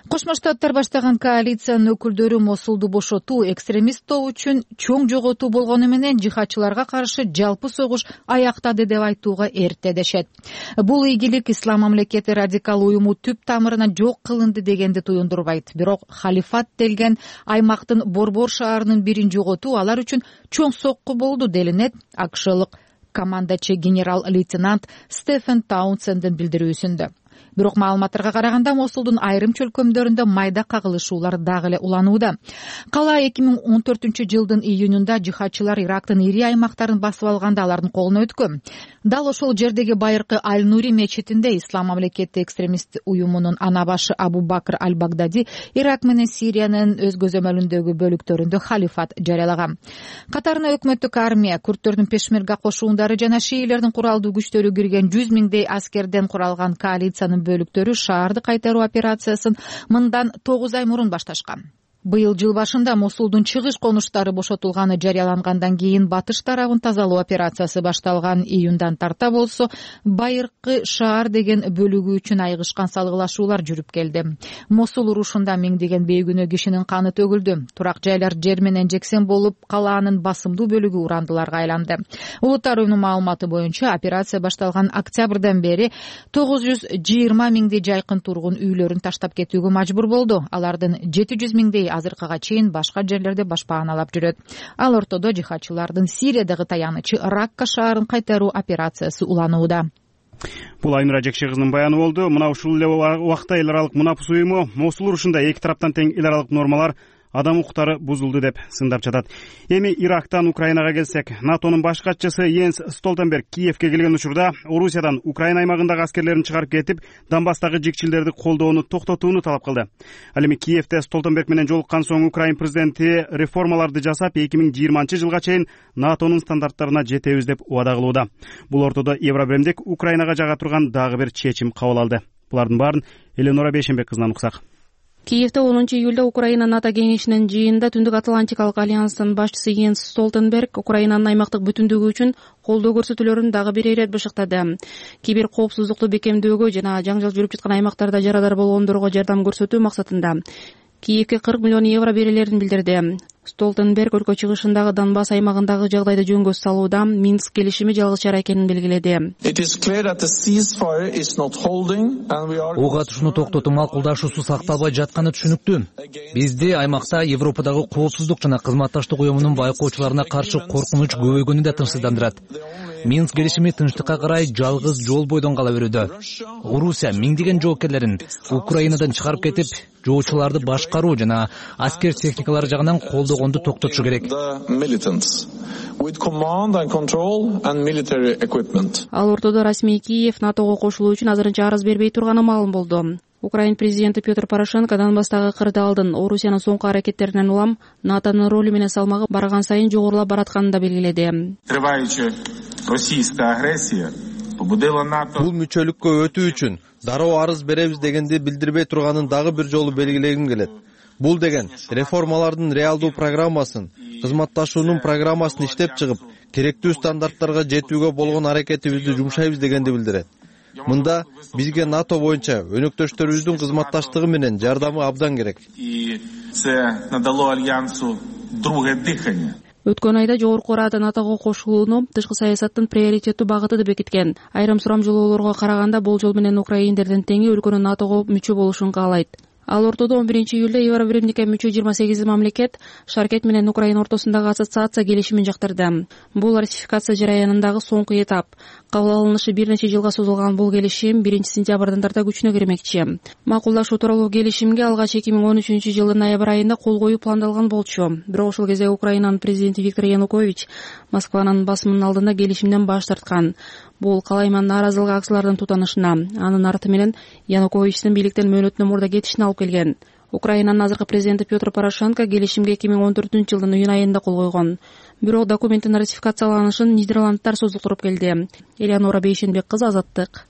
Кошмо Штаттар баштаган коалициянын өкүлдөрү Мосулду бошотуу экстремист топ үчүн чоң жоготуу болгону менен жихадчыларга каршы жалпы согуш аяктады деп айтууга эрте дешет. Бул ийгилик Ислам мамлекети радикал уюму түп тамырынан жок кылынды дегенди туюндурбайт. Бирок халифат делген аймактын Борбор шаарынын бирин жоготуу алар үчүн чоң сокку болду делинет АКШлык командачы генерал-лейтенант Стефен Таунсендин билдирүүсүндө. Бирок маалыматтарга караганда Мосулдун айрым чөлкөмдөрүндө майда кагылышуулар дагы эле уланууда. Кала эки миң он төртүнчү жылдын июнунда жихадчылар Ирактын ири аймактарын басып алганда алардын колуна өткөн. Дал ошол жердеги байыркы Аль-Нури мечитинде Ислам мамлекети экстремист уюмунун ана башы Абу Бакр Аль-Багдади Ирак менен Сириянын өз көзөмөлүндөгү бөлүктөрүндө халифат жарыялаган. Катарына өкмөттүк армия, курдтөрдүн пешмерга кошуундары жана шиилердин куралдуу күчтөрү кирген жүз миңдей аскерден куралган коалициянын бөлүктөрү шаарды кайтаруу операциясын мындан тогуз ай мурун башташкан. Быйыл жыл башында Мосулдун чыгыш конуштары бошотулганы жарыялангандан кийин батыш тарабын тазалоо операциясы башталган. Июндан тарта болсо байыркы шаар деген бөлүгү үчүн айгышкан салгылашуулар жүрүп келди. Мосул урушунда миңдеген бейгүнөө кишинин каны төгүлдү. Турак жайлар жер менен жексен болуп, калаанын басымдуу бөлүгү урандыларга айланды. Улуттар уюмунун маалыматы боюнча операция башталган октябрдан бери тогуз жүз жыйырма миңдей жайкын тургун үйлөрүн таштап кетүүгө мажбур болду. Алардын жети жүз миңдей азыркыга чейин башка жерлерде башпааналап жүрөт. Ал ортодо жихадчылардын Сириядагы таянычы Ракка шаарын кайтаруу операциясы уланууда. Бул Айнура Жекше кызынын баяны болду. Мына ушул эле убакта эл аралык мунапус уюму Мосул урушунда эки тараптан тең эл аралык нормалар, адам укуктары бузулду деп сындап жатат. Эми Ирактан Украинага келсек, НАТОнун баш катчысы Йенс Столтенберг Киевке келген учурда Орусиядан Украина аймагындагы аскерлерин чыгарып кетип, Донбасстагы жикчилдерди колдоону токтотууну талап кылды. Ал эми Киевде Столтенберг менен жолуккан соң Украин президенти реформаларды жасап, эки миң жыйырманчы жылга чейин НАТОнун стандарттарына жетебиз деп убада кылууда. Бул ортодо Евробиримдик Украинага жага турган дагы бир чечим кабыл алды. Булардын баарын Эленора Бейшенбек кызынан уксак. Киевде онунчу июлда Украина НАТО кеңешинин жыйынында Түндүк Атлантикалык альянстын башчысы Йенс Столтенберг Украинанын аймактык бүтүндүгү үчүн колдоо көрсөтүүлөрүн дагы бир ирет бышыктады. Кибер коопсуздукту бекемдөөгө жана жаңжал жүрүп жаткан аймактарда жарадар болгондорго жардам көрсөтүү максатында Киевге кырк миллион евро берилерин билдирди. Столтенберг өлкө чыгышындагы Донбасс аймагындагы жагдайды жөнгө салууда Минск келишими жалгыз чара экенин белгиледи. Ок атышууну токтотуу макулдашуусу сакталбай жатканы түшүнүктүү. Бизде аймакта Европадагы коопсуздук жана кызматташтык уюмунун байкоочуларына каршы коркунуч көбөйгөнү да тынчсыздандырат. Минск келишими тынчтыкка карай жалгыз жол бойдон кала берүүдө. Орусия миңдеген жоокерлерин Украинадан чыгарып кетип, жоочуларды башкаруу жана аскер техникалары жагынан колдогонду токтотушу керек. Ал ортодо расмий Киев НАТОго кошулуу үчүн азырынча арыз бербей турганы маалым болду. Украин президенти Петр Порошенко Донбасстагы кырдаалдын Орусиянын соңку аракеттеринен улам НАТОнун ролу менен салмагы барган сайын жогорулап баратканын да белгиледи. Бул мүчөлүккө өтүү үчүн дароо арыз беребиз дегенди билдирбей турганын дагы бир жолу белгилегим келет. Бул деген реформалардын реалдуу программасын, кызматташуунун программасын иштеп чыгып, керектүү стандарттарга жетүүгө болгон аракетибизди жумшайбыз дегенди билдирет. Мында бизге НАТО боюнча өнөктөштөрүбүздүн кызматташтыгы менен жардамы абдан керек. Өткөн айда Жогорку Рада НАТОго кошулууну тышкы саясаттын приоритеттүү багыты деп бекиткен. Айрым сурамжылоолорго караганда бул жол менен украиндердин теңи өлкөнүн НАТОго мүчө болушун каалайт. Ал ортодо он биринчи июлда Евробиримдикке мүчө жыйырма сегиз мамлекет Шаркет менен Украина ортосундагы ассоциация келишимин жактырды. Бул ратификация жараянындагы соңку этап. Кабыл алынышы бир нече жылга созулган бул келишим биринчи сентябрдан тарта күчүнө кирмекчи. Макулдашуу тууралуу келишимге алгач эки миң он үчүнчү жылдын ноябрь айында кол коюу пландалган болчу. Бирок ошол кезде Украинанын президенти Виктор Янукович Москванын басымынын алдында келишимден баш тарткан. Бул калайман нааразылык акциялардын тутанышына, анын арты менен Януковичтин бийликтен мөөнөтүнөн мурда кетишине алып келген. Украинанын азыркы президенти Петр Порошенко келишимге эки миң он төртүнчү жылдын июнь айында кол койгон. Бирок документтин ратификацияланышын Нидерландтар создуктуруп келди. Элеонора Бейшенбек кызы, Азаттык.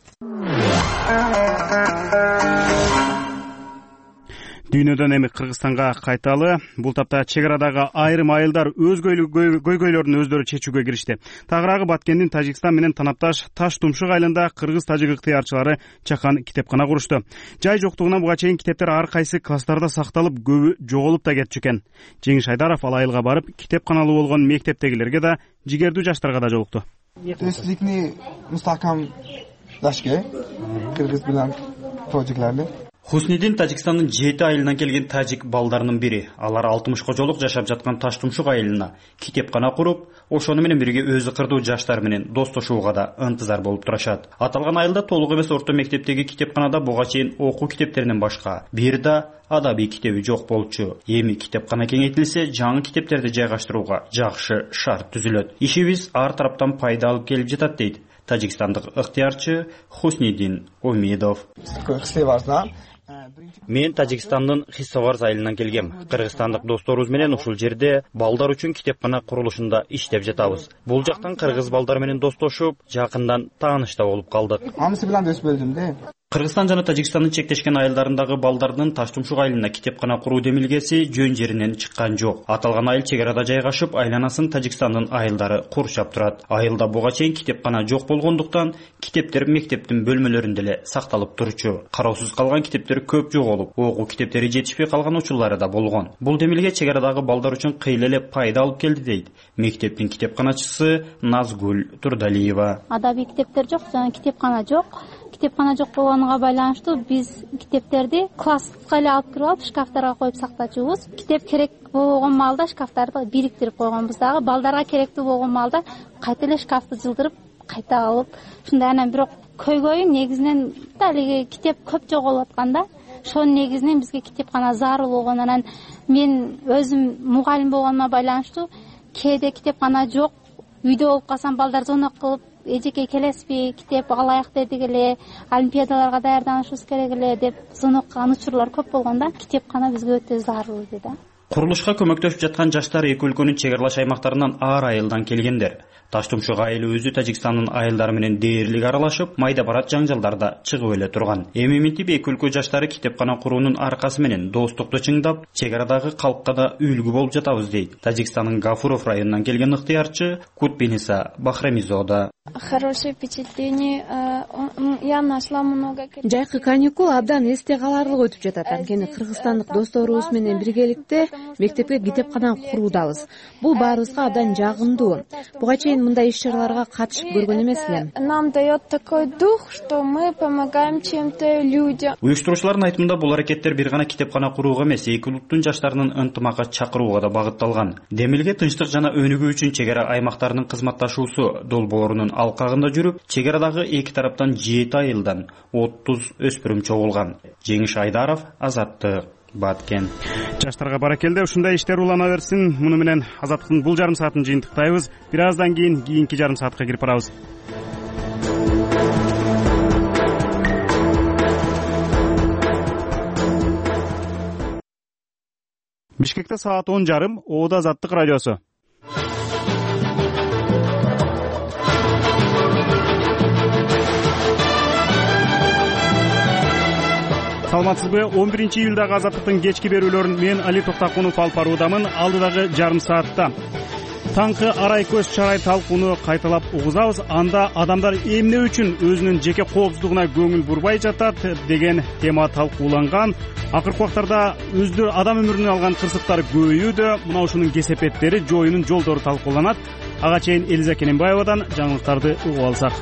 Дүйнөдөн эми Кыргызстанга кайталы. Бул тапта чек арадагы айрым айылдар өз көйгөйлөрүн өздөрү чечүүгө киришти. Тагыраагы Баткендин Тажикстан менен танапташ Таш Тумшук айылында кыргыз-тажик ыктыярчылары чакан китепкана курушту. Жай жоктугунан буга чейин китептер ар кайсы класстарда сакталып, көбү жоголуп да кетчү экен. Жеңиш Айдаров ал айылга барып, китепканалуу болгон мектептегилерге да, жигердүү жаштарга да жолукту. Тестликни мустакамдашке кыргыз менен тажиклерди. Хуснидин Тажикстандын жети айылынан келген тажик балдарынын бири. Алар алтымышка жолук жашап жаткан Таш Тумшук айылына китепкана куруп, ошону менен бирге өзү кырдуу жаштар менен достошууга да ынтызар болуп турушат. Аталган айылда толук эмес орто мектептеги китепканада буга чейин окуу китептеринен башка бир да адабий китеби жок болчу. Эми китепкана кеңейтилсе, жаңы китептерди жайгаштырууга жакшы шарт түзүлөт. Ишибиз ар тараптан пайда алып келип жатат дейт тажикстандык ыктыярчы Хуснидин Омедов. Мен Тажикстандын Хиссоварз айылынан келгем. Кыргызстандык досторубуз менен ушул жерде балдар үчүн китепкана курулушунда иштеп жатабыз. Бул жактан кыргыз балдар менен достошуп, жакындан тааныш да болуп калдык. Анысы менен дөс бөлдүм да. Кыргызстан жана Тажикстандын чектешкен айылдарындагы балдардын Таш Тумшук айылына китепкана куруу демилгеси жөн жеринен чыккан жок. Аталган айыл чек арада жайгашып, айланасын Тажикстандын айылдары курчап турат. Айылда буга чейин китепкана жок болгондуктан китептер мектептин бөлмөлөрүндө эле сакталып турчу. Кароосуз калган китептер көп жоголуп, окуу китептери жетишпей калган учурлары да болгон. Бул демилге чек арадагы балдар үчүн кыйла эле пайда алып келди дейт мектептин китепканачысы Назгүл Турдалиева. Адабий китептер жок, жана китепкана жок. Китепкана жок болгонуна байланыштуу биз китептерди класска эле алып кирип алып шкафтарга коюп сактачубуз. Китеп керек болгон маалда шкафтарды бириктирип койгонбуз дагы. Балдарга керектүү болгон маалда кайта эле шкафты жылдырып, кайта алып, ушундай. Анан бирок көйгөйү негизинен далиги китеп көп жоголуп атканда, ошонун негизинен бизге китепкана зарыл болгон. Анан мен өзүм мугалим болгонума байланыштуу кээде китепкана жок, үйдө болуп калсам балдар звонок кылып, эжеке келесизби, китеп алайык дедик эле, олимпиадаларга даярданышыбыз керек эле деп звонок кылган учурлар көп болгондо, китепкана бизге өтө зарыл эле да. Курулушка көмөктөшүп жаткан жаштар эки өлкөнүн чек аралаш аймактарынан ар айылдан келгендер. Таштумшук айылы өзү Тажикстандын айылдары менен дээрлик аралашып, майда барат жаңжалдарда чыгып эле турган. Эми минтип эки өлкө жаштары китепкана куруунун аркасы менен достукту чыңдап, чек арадагы калкка да үлгү болуп жатабыз дейт Тажикстандын Гафуров районунан келген ыктыярчы Кутбиниса Бахрамизода. Хорошее впечатление. Я нашла много. Жайкы каникул абдан эсте каларлык өтүп жатат. Анткени кыргызстандык досторубуз менен биргеликте мектепке китепкана куруудабыз. Бул баарыбызга абдан жагымдуу. Буга чейин мындай иш-чараларга катышып көргөн эмес элем. Нам дает такой дух, что мы помогаем чем-то людям. Уюштуруучулардын айтымында бул аракеттер бир гана китепкана курууга эмес, эки улуттун жаштарынын ынтымакка чакырууга да багытталган. Демилге тынчтык жана өнүгүү үчүн чек ара аймактарынын кызматташуусу долбоорунун алкагында жүрүп, чек арадагы эки тараптан жети айылдан отуз өспүрүм чогулган. Жеңиш Айдаров, Азаттык, Баткен. Жаштарга баракелде, ушундай иштер улана берсин. Муну менен Азаттыктын бул жарым саатын жыйынтыктайбыз. Бир аздан кийин кийинки жарым саатка кирип барабыз. Бишкекте саат он жарым, Оода Азаттык радиосу. Саламатсызбы? он биринчи июлдагы Азаттыктын кечки берүүлөрүн мен Али Токтакунов алып баруудамын. Алдыдагы жарым саатта таңкы арай көз чарай талкууну кайталап угузабыз. Анда адамдар эмне үчүн өзүнүн жеке коопсуздугуна көңүл бурбай жатат деген тема талкууланган. Акыркы убактарда өздөрү адам өмүрүн алган кырсыктар көбөйүүдө. Мына ушунун кесепеттери, жоюунун жолдору талкууланат. Ага чейин Элиза Кененбаевадан жаңылыктарды угуп алсак.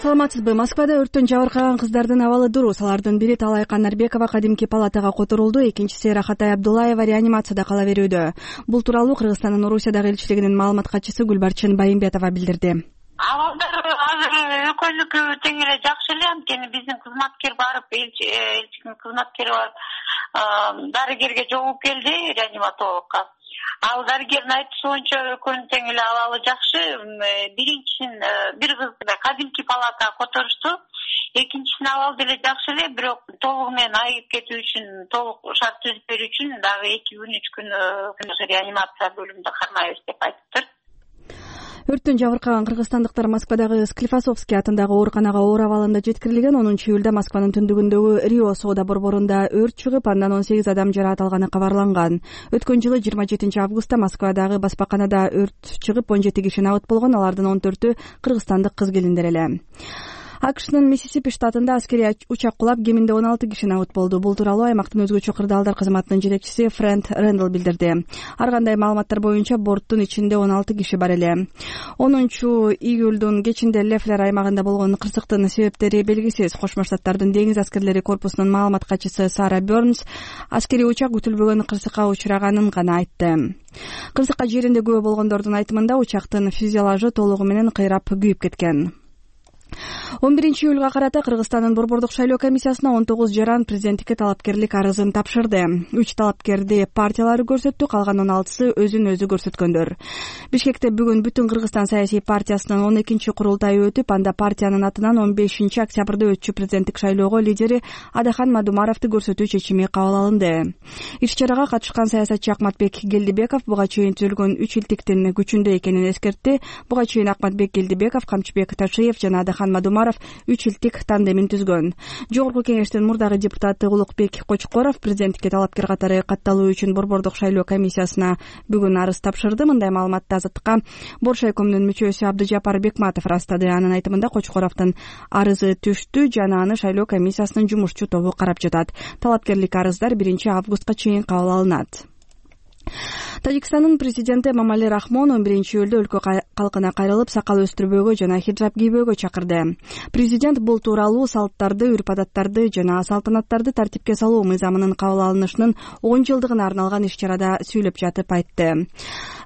Саламатсызбы? Москвада өрттөн жабыркаган кыздардын абалы дурус. Алардын бири Талай Канарбекова кадимки палатага которулду, экинчиси Рахатай Абдулаева реанимацияда кала берүүдө. Бул тууралуу Кыргызстандын Орусиядагы элчилигинин маалымат катчысы Гүлбарчын Байымбетова билдирди. Абалдар азыр экөөнүкү тең эле жакшы эле, анткени биздин кызматкер барып, элчинин кызматкери барып дарыгерге жолугуп келди, реаниматологко. Ал дарыгердин айтуусу боюнча экөөнүн тең эле абалы жакшы. Биринчисин бир кызды кадимки палатага которушту, экинчисинин абалы деле жакшы эле, бирок толугу менен айыгып кетүү үчүн, толук шарт түзүп берүү үчүн дагы эки күн үч күн реанимация бөлүмүндө кармайбыз деп айтыптыр. Өрттөн жабыркаган кыргызстандыктар Москвадагы Склифосовский атындагы ооруканага оор абалында жеткирилген. онунчу июлда Москванын түндүгүндөгү Рио соода борборунда өрт чыгып, андан он сегиз адам жаракат алганы кабарланган. Өткөн жылы жыйырма жетинчи августта Москвадагы баспаканада өрт чыгып, он жети киши абыт болгон. Алардын он төртү кыргызстандык кыз келиндер эле. АКШнын Миссисипи штатында аскерий учак кулап, кеминде он алты киши абыт болду. Бул тууралуу аймактын өзгөчө кырдаалдар кызматынын жетекчиси Фрэнд Рэндл билдирди. Ар кандай маалыматтар боюнча борттун ичинде он алты киши бар эле. онунчу июлдун кечинде Лефлер аймагында болгон кырсыктын себептери белгисиз. Кошмо Штаттардын деңиз аскерлери корпусунун маалымат катчысы Сара Бернс аскерий учак күтүлбөгөн кырсыкка учураганын гана айтты. Кырсыкка жеринде күбө болгондордун айтымында учактын фюзеляжы толугу менен кыйрап күйүп кеткен. он биринчи июлга карата Кыргызстандын борбордук шайлоо комиссиясына он тогуз жаран президенттикке талапкерлик арызын тапшырды. үч талапкерди партиялары көрсөттү, калган он алтысы өзүн өзү көрсөткөндөр. Бишкекте бүгүн Бүтүн Кыргызстан саясий партиясынын он экинчи курултайы өтүп, анда партиянын атынан он бешинчи октябрда өтчү президенттик шайлоого лидери Адахан Мадумаровду көрсөтүү чечими кабыл алынды. Иш-чарага катышкан саясатчы Акматбек Гелдибеков буга чейин түзүлгөн үч илтиктин күчүндө экенин эскертти. Буга чейин Акматбек Гелдибеков, Камчыбек Ташиев жана Адахан Мадумаров үч илтик тандемин түзгөн. Жогорку кеңештин мурдагы депутаты Улукбек Кочкоров президенттикке талапкер катары катталуу үчүн борбордук шайлоо комиссиясына бүгүн арыз тапшырды. Мындай маалыматты Азаттыкка Боршайкомдун мүчөсү Абдыжапар Бекматов ырастады. Анын айтымында Кочкоровдун арызы түштү жана аны шайлоо комиссиясынын жумушчу тобу карап жатат. Талапкерлик арыздар биринчи августка чейин кабыл алынат. Тажикстандын президенти Эмомали Рахмон он биринчи июлда өлкө калкына кайрылып, сакал өстүрбөөгө жана хиджаб кийбөөгө чакырды. Президент бул тууралуу салттарды, үрп-адаттарды жана салтанаттарды тартипке салуу мыйзамынын кабыл алынышынын он жылдыгына арналган иш-чарада сүйлөп жатып айтты.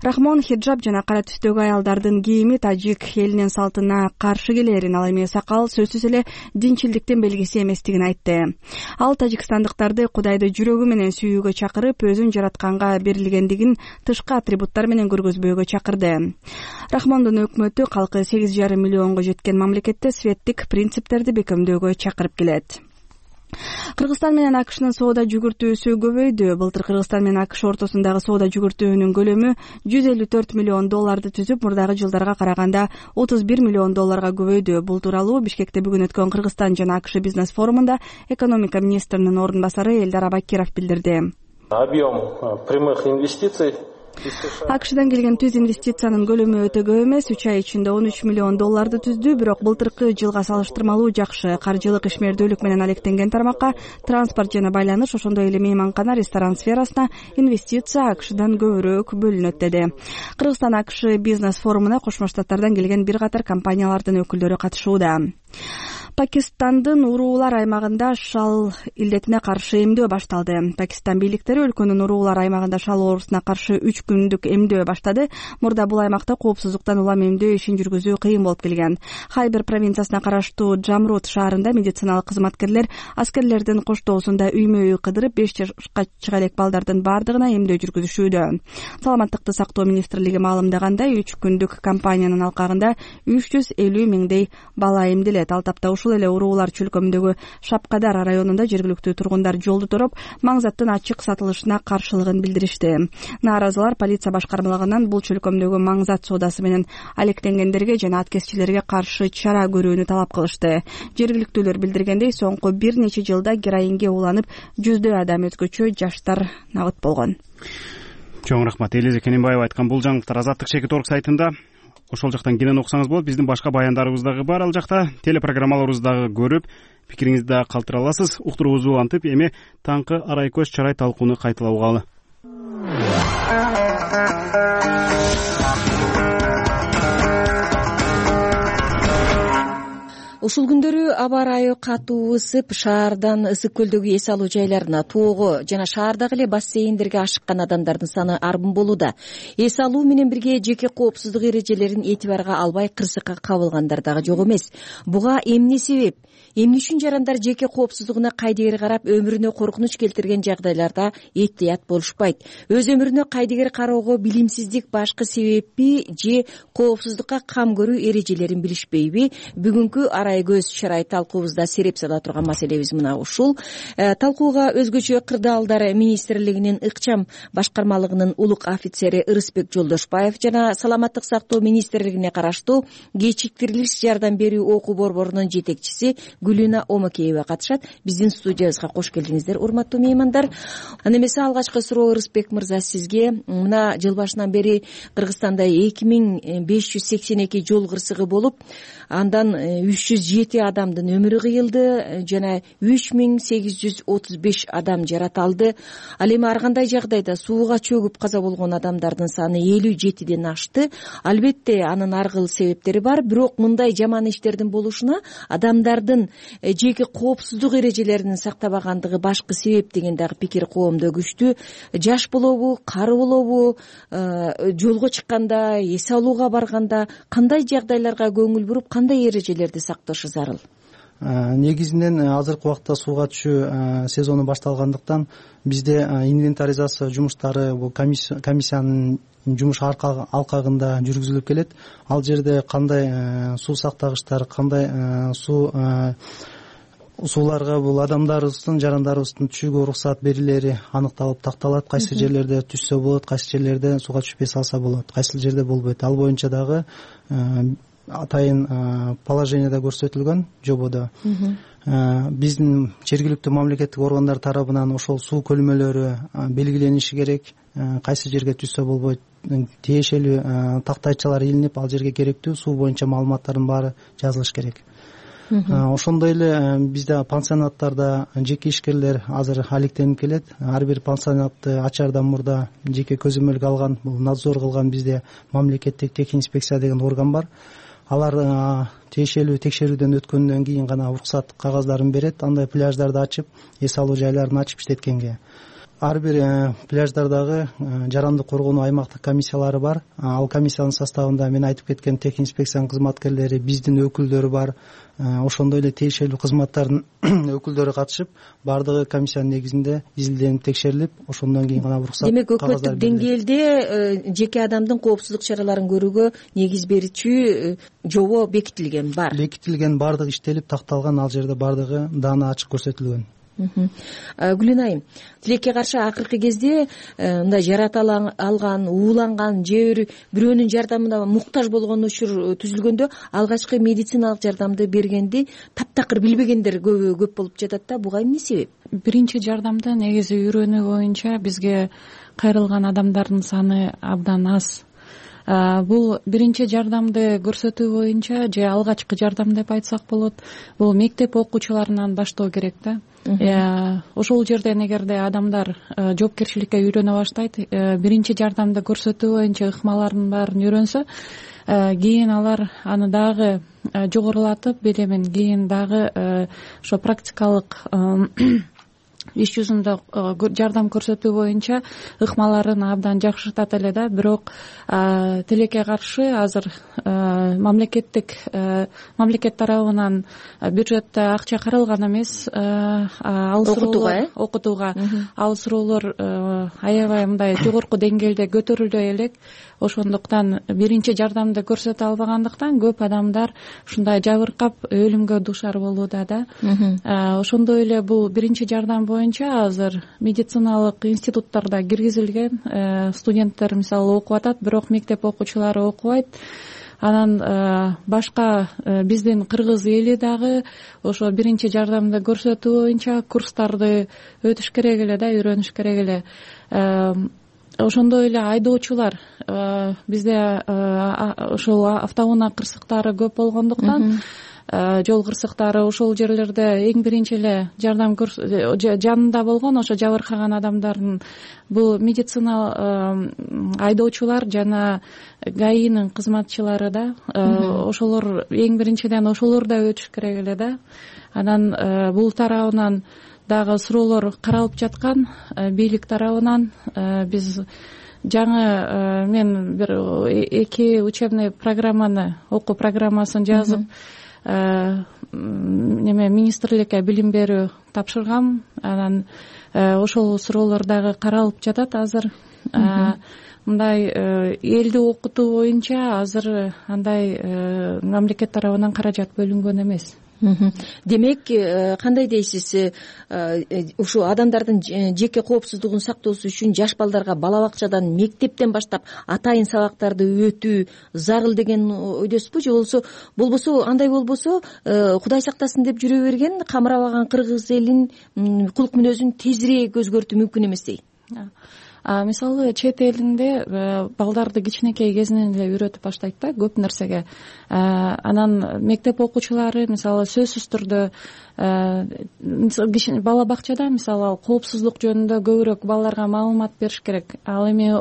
Рахмон хиджаб жана кара түстөгү аялдардын кийими тажик элинин салтына каршы келерин, ал эми сакал сөзсүз эле динчилдиктин белгиси эместигин айтты. Ал тажикстандыктарды Кудайды жүрөгү менен сүйүүгө чакырып, өзүн жаратканга берилгендигин тышкы атрибуттар менен көргөзбөөгө чакырды. Рахмондун өкмөтү калкы сегиз жарым миллионго жеткен мамлекетте светтик принциптерди бекемдөөгө чакырып келет. Кыргызстан менен АКШнын соода жүгүртүүсү көбөйдү. Былтыр Кыргызстан менен АКШ ортосундагы соода жүгүртүүнүн көлөмү жүз элүү төрт миллион долларды түзүп, мурдагы жылдарга караганда отуз бир миллион долларга көбөйдү. Бул тууралуу Бишкекте бүгүн өткөн Кыргызстан жана АКШ бизнес форумунда экономика министринин орун басары Элдар Абакиров билдирди. Объем прямых инвестиций АКШдан келген түз инвестициянын көлөмү өтө көп эмес, үч ай ичинде он үч миллион долларды түздү, бирок былтыркы жылга салыштырмалуу жакшы. Каржылык ишмердүүлүк менен алектенген тармакка транспорт жана байланыш, ошондой эле мейманкана, ресторан сферасына инвестиция АКШдан көбүрөөк бөлүнөт деди. Кыргызстан АКШ бизнес форумуна Кошмо Штаттардан келген бир катар компаниялардын өкүлдөрү катышууда. Пакистандын уруулар аймагында шал илдетине каршы эмдөө башталды. Пакистан бийликтери өлкөнүн уруулар аймагында шал оорусуна каршы үч күндүк эмдөө баштады. Мурда бул аймакта коопсуздуктан улам эмдөө ишин жүргүзүү кыйын болуп келген. Хайбер провинциясына караштуу Джамрут шаарында медициналык кызматкерлер аскерлердин коштоосунда үймө үй кыдырып, беш жашка чыга элек балдардын баардыгына эмдөө жүргүзүшүүдө. Саламаттыкты сактоо министрлиги маалымдагандай, үч күндүк кампаниянын алкагында үч жүз элүү миңдей бала эмделет. Ал тапта ушул эле уруулар чөлкөмүндөгү Шапкадар районунда жергиликтүү тургундар жолду тороп, маңзаттын ачык сатылышына каршылыгын билдиришти. Нааразылар полиция башкармалыгынан бул чөлкөмдөгү маңзат соодасы менен алектенгендерге жана аткезчилерге каршы чара көрүүнү талап кылышты. Жергиликтүүлөр билдиргендей, соңку бир нече жылда героинге уланып, жүздөй адам, өзгөчө жаштар набыт болгон. Чоң рахмат. Элиза Кененбаева айткан бул жаңылыктар Азаттык Шекит орг сайтында, ошол жактан кенен окусаңыз болот. Биздин башка баяндарыбыз дагы бар ал жакта. Телепрограммаларыбызды дагы көрүп, пикириңизди дагы калтыра аласыз. Уктуруубузду улантып, эми таңкы арай көз чарай талкууну кайталаугалы. Ушул күндөрү аба ырайы катуу ысып, шаардан Ысык көлдөгү эс алуу жайларына, тоого жана шаардагы эле бассейндерге ашыккан адамдардын саны арбын болууда. Эс алуу менен бирге жеке коопсуздук эрежелерин этибарга албай кырсыкка кабылгандар дагы жок эмес. Буга эмне себеп? Эмне үчүн жарандар жеке коопсуздугуна кайдыгер карап, өмүрүнө коркунуч келтирген жагдайларда этият болушпайт? Өз өмүрүнө кайдыгер кароого билимсиздик башкы себеппи же коопсуздукка кам көрүү эрежелерин билишпейби? Бүгүнкү арай көз чарай талкуубузда сереп сала турган маселебиз мына ушул. Талкууга өзгөчө кырдаалдар министрлигинин ыкчам башкармалыгынын улук офицери Ырысбек Жолдошбаев жана саламаттык сактоо министрлигине караштуу кечиктирилиш жардам берүү окуу борборунун жетекчиси Гүлүна Омакеева катышат. Биздин студиябызга кош келдиңиздер, урматтуу меймандар. Аны эмесе алгачкы суроо Ырысбек мырза сизге. Мына жыл башынан бери Кыргызстанда эки миң беш жүз сексен эки жол кырсыгы болуп, андан үч жүз жети адамдын өмүрү кыйылды жана үч миң сегиз жүз отуз беш адам жараталды. Ал эми ар кандай жагдайда сууга чөгүп каза болгон адамдардын саны элүү жетиден ашты. Албетте анын ар кыл себептери бар, бирок мындай жаман иштердин болушуна адамдардын жеке коопсуздук эрежелерин сактабагандыгы башкы себеп деген дагы пикир коомдо күчтүү. Жаш болобу, кары болобу, жолго чыкканда, эс алууга барганда кандай жагдайларга көңүл буруп, кандай эрежелерди сакташы зарыл? Негизинен азыркы убакта сууга түшүү сезону башталгандыктан бизде инвентаризация жумуштары бул комиссиянын жумуш алкагында жүргүзүлүп келет. Ал жерде кандай суу сактагычтар, кандай суу сууларга бул адамдарыбыздын, жарандарыбыздын түшүүгө уруксат берилери аныкталып такталат. Кайсы жерлерде түшсө болот, кайсы жерлерде сууга түшпөй салса болот, кайсы жерде болбойт. Ал боюнча дагы атайын положениеде көрсөтүлгөн жободо. Биздин жергиликтүү мамлекеттик органдар тарабынан ошол суу көлмөлөрү белгилениши керек. Кайсы жерге түшсө болбойт, тиешелүү тактайчалар илинип, ал жерге керектүү суу боюнча маалыматтардын баары жазылыш керек. Ошондой эле бизде пансионаттарда жеке ишкерлер азыр алектенип келет. Ар бир пансионатты ачаардан мурда жеке көзөмөлгө алган, бул надзор кылган бизде мамлекеттик техинспекция деген орган бар. Алар тиешелүү текшерүүдөн өткөндөн кийин гана уруксат кагаздарын берет. Андай пляждарды ачып, эс алуу жайларын ачып иштеткенге. Ар бир пляждардагы жарандык коргонуу аймактык комиссиялары бар. Ал комиссиянын составында мен айтып кеткен техинспекциянын кызматкерлери, биздин өкүлдөрү бар. Ошондой эле тиешелүү кызматтардын өкүлдөрү катышып, баардыгы комиссиянын негизинде изилденип, текшерилип, ошондон кийин гана уруксат. Демек, өкмөттүк деңгээлде жеке адамдын коопсуздук чараларын көрүүгө негиз берүүчү жобо бекитилген бар. Бекитилген, баардыгы иштелип, такталган, ал жерде баардыгы даана ачык көрсөтүлгөн. Гүлен айым, тилекке каршы акыркы кезде мындай жарата алган, ууланган же бирөөнүн жардамына муктаж болгон учур түзүлгөндө алгачкы медициналык жардамды бергенди таптакыр билбегендер көбү көп болуп жатат да. Буга эмне себеп? Биринчи жардамды негизи үйрөнүү боюнча бизге кайрылган адамдардын саны абдан аз. Бул биринчи жардамды көрсөтүү боюнча же алгачкы жардам деп айтсак болот, бул мектеп окуучуларынан баштоо керек да. Ошол жерден эгерде адамдар жоопкерчиликке үйрөнө баштайт, биринчи жардамды көрсөтүү боюнча ыкмалардын баарын үйрөнсө, кийин алар аны дагы жогорулатып, билемин, кийин дагы ошо практикалык иш жүзүндө жардам көрсөтүү боюнча ыкмаларын абдан жакшыртат эле да. Бирок тилекке каршы азыр мамлекеттик мамлекет тарабынан бюджетте акча каралган эмес окутууга окутууга ал суроолор аябай мындай жогорку деңгээлде көтөрүлө элек. Ошондуктан биринчи жардамды көрсөтө албагандыктан көп адамдар ушундай жабыркап өлүмгө дуушар болууда да. Ошондой эле бул биринчи жардам боюнча азыр медициналык институттарда киргизилген, студенттер мисалы окуп атат, бирок мектеп окуучулары окубайт. Анан башка биздин кыргыз эли дагы ошо биринчи жардамды көрсөтүү боюнча курстарды өтүш керек эле да, үйрөнүш керек эле. Ошондой эле айдоочулар, бизде ошол автоунаа кырсыктары көп болгондуктан, жол кырсыктары ошол жерлерде эң биринчи эле жардам жанында болгон ошо жабыркаган адамдардын бул медицина айдоочулар жана гаинин кызматчылары да, ошолор эң биринчиден ошолор да өтүш керек эле да. Анан бул тарабынан дагы суроолор каралып жаткан, бийлик тарабынан биз жаңы мен бир эки учебный программаны, окуу программасын жазып, неме министрликке билим берүү тапшыргам. Анан ошол суроолор дагы каралып жатат азыр. Мындай элди окутуу боюнча азыр андай мамлекет тарабынан каражат бөлүнгөн эмес. Демек, кандай дейсиз, ушу адамдардын жеке коопсуздугун сактоосу үчүн жаш балдарга бала бакчадан, мектептен баштап атайын сабактарды өтүү зарыл деген ойдосузбу? Же болбосо, болбосо андай болбосо, Кудай сактасын деп жүрө берген камырабаган кыргыз элин кулк мүнөзүн тезирээк өзгөртүү мүмкүн эместей? Мисалы чет элинде балдарды кичинекей кезинен эле үйрөтүп баштайт да көп нерсеге. Анан мектеп окуучулары мисалы сөзсүз түрдө бала бакчада мисалы коопсуздук жөнүндө көбүрөөк балдарга маалымат бериш керек. Ал эми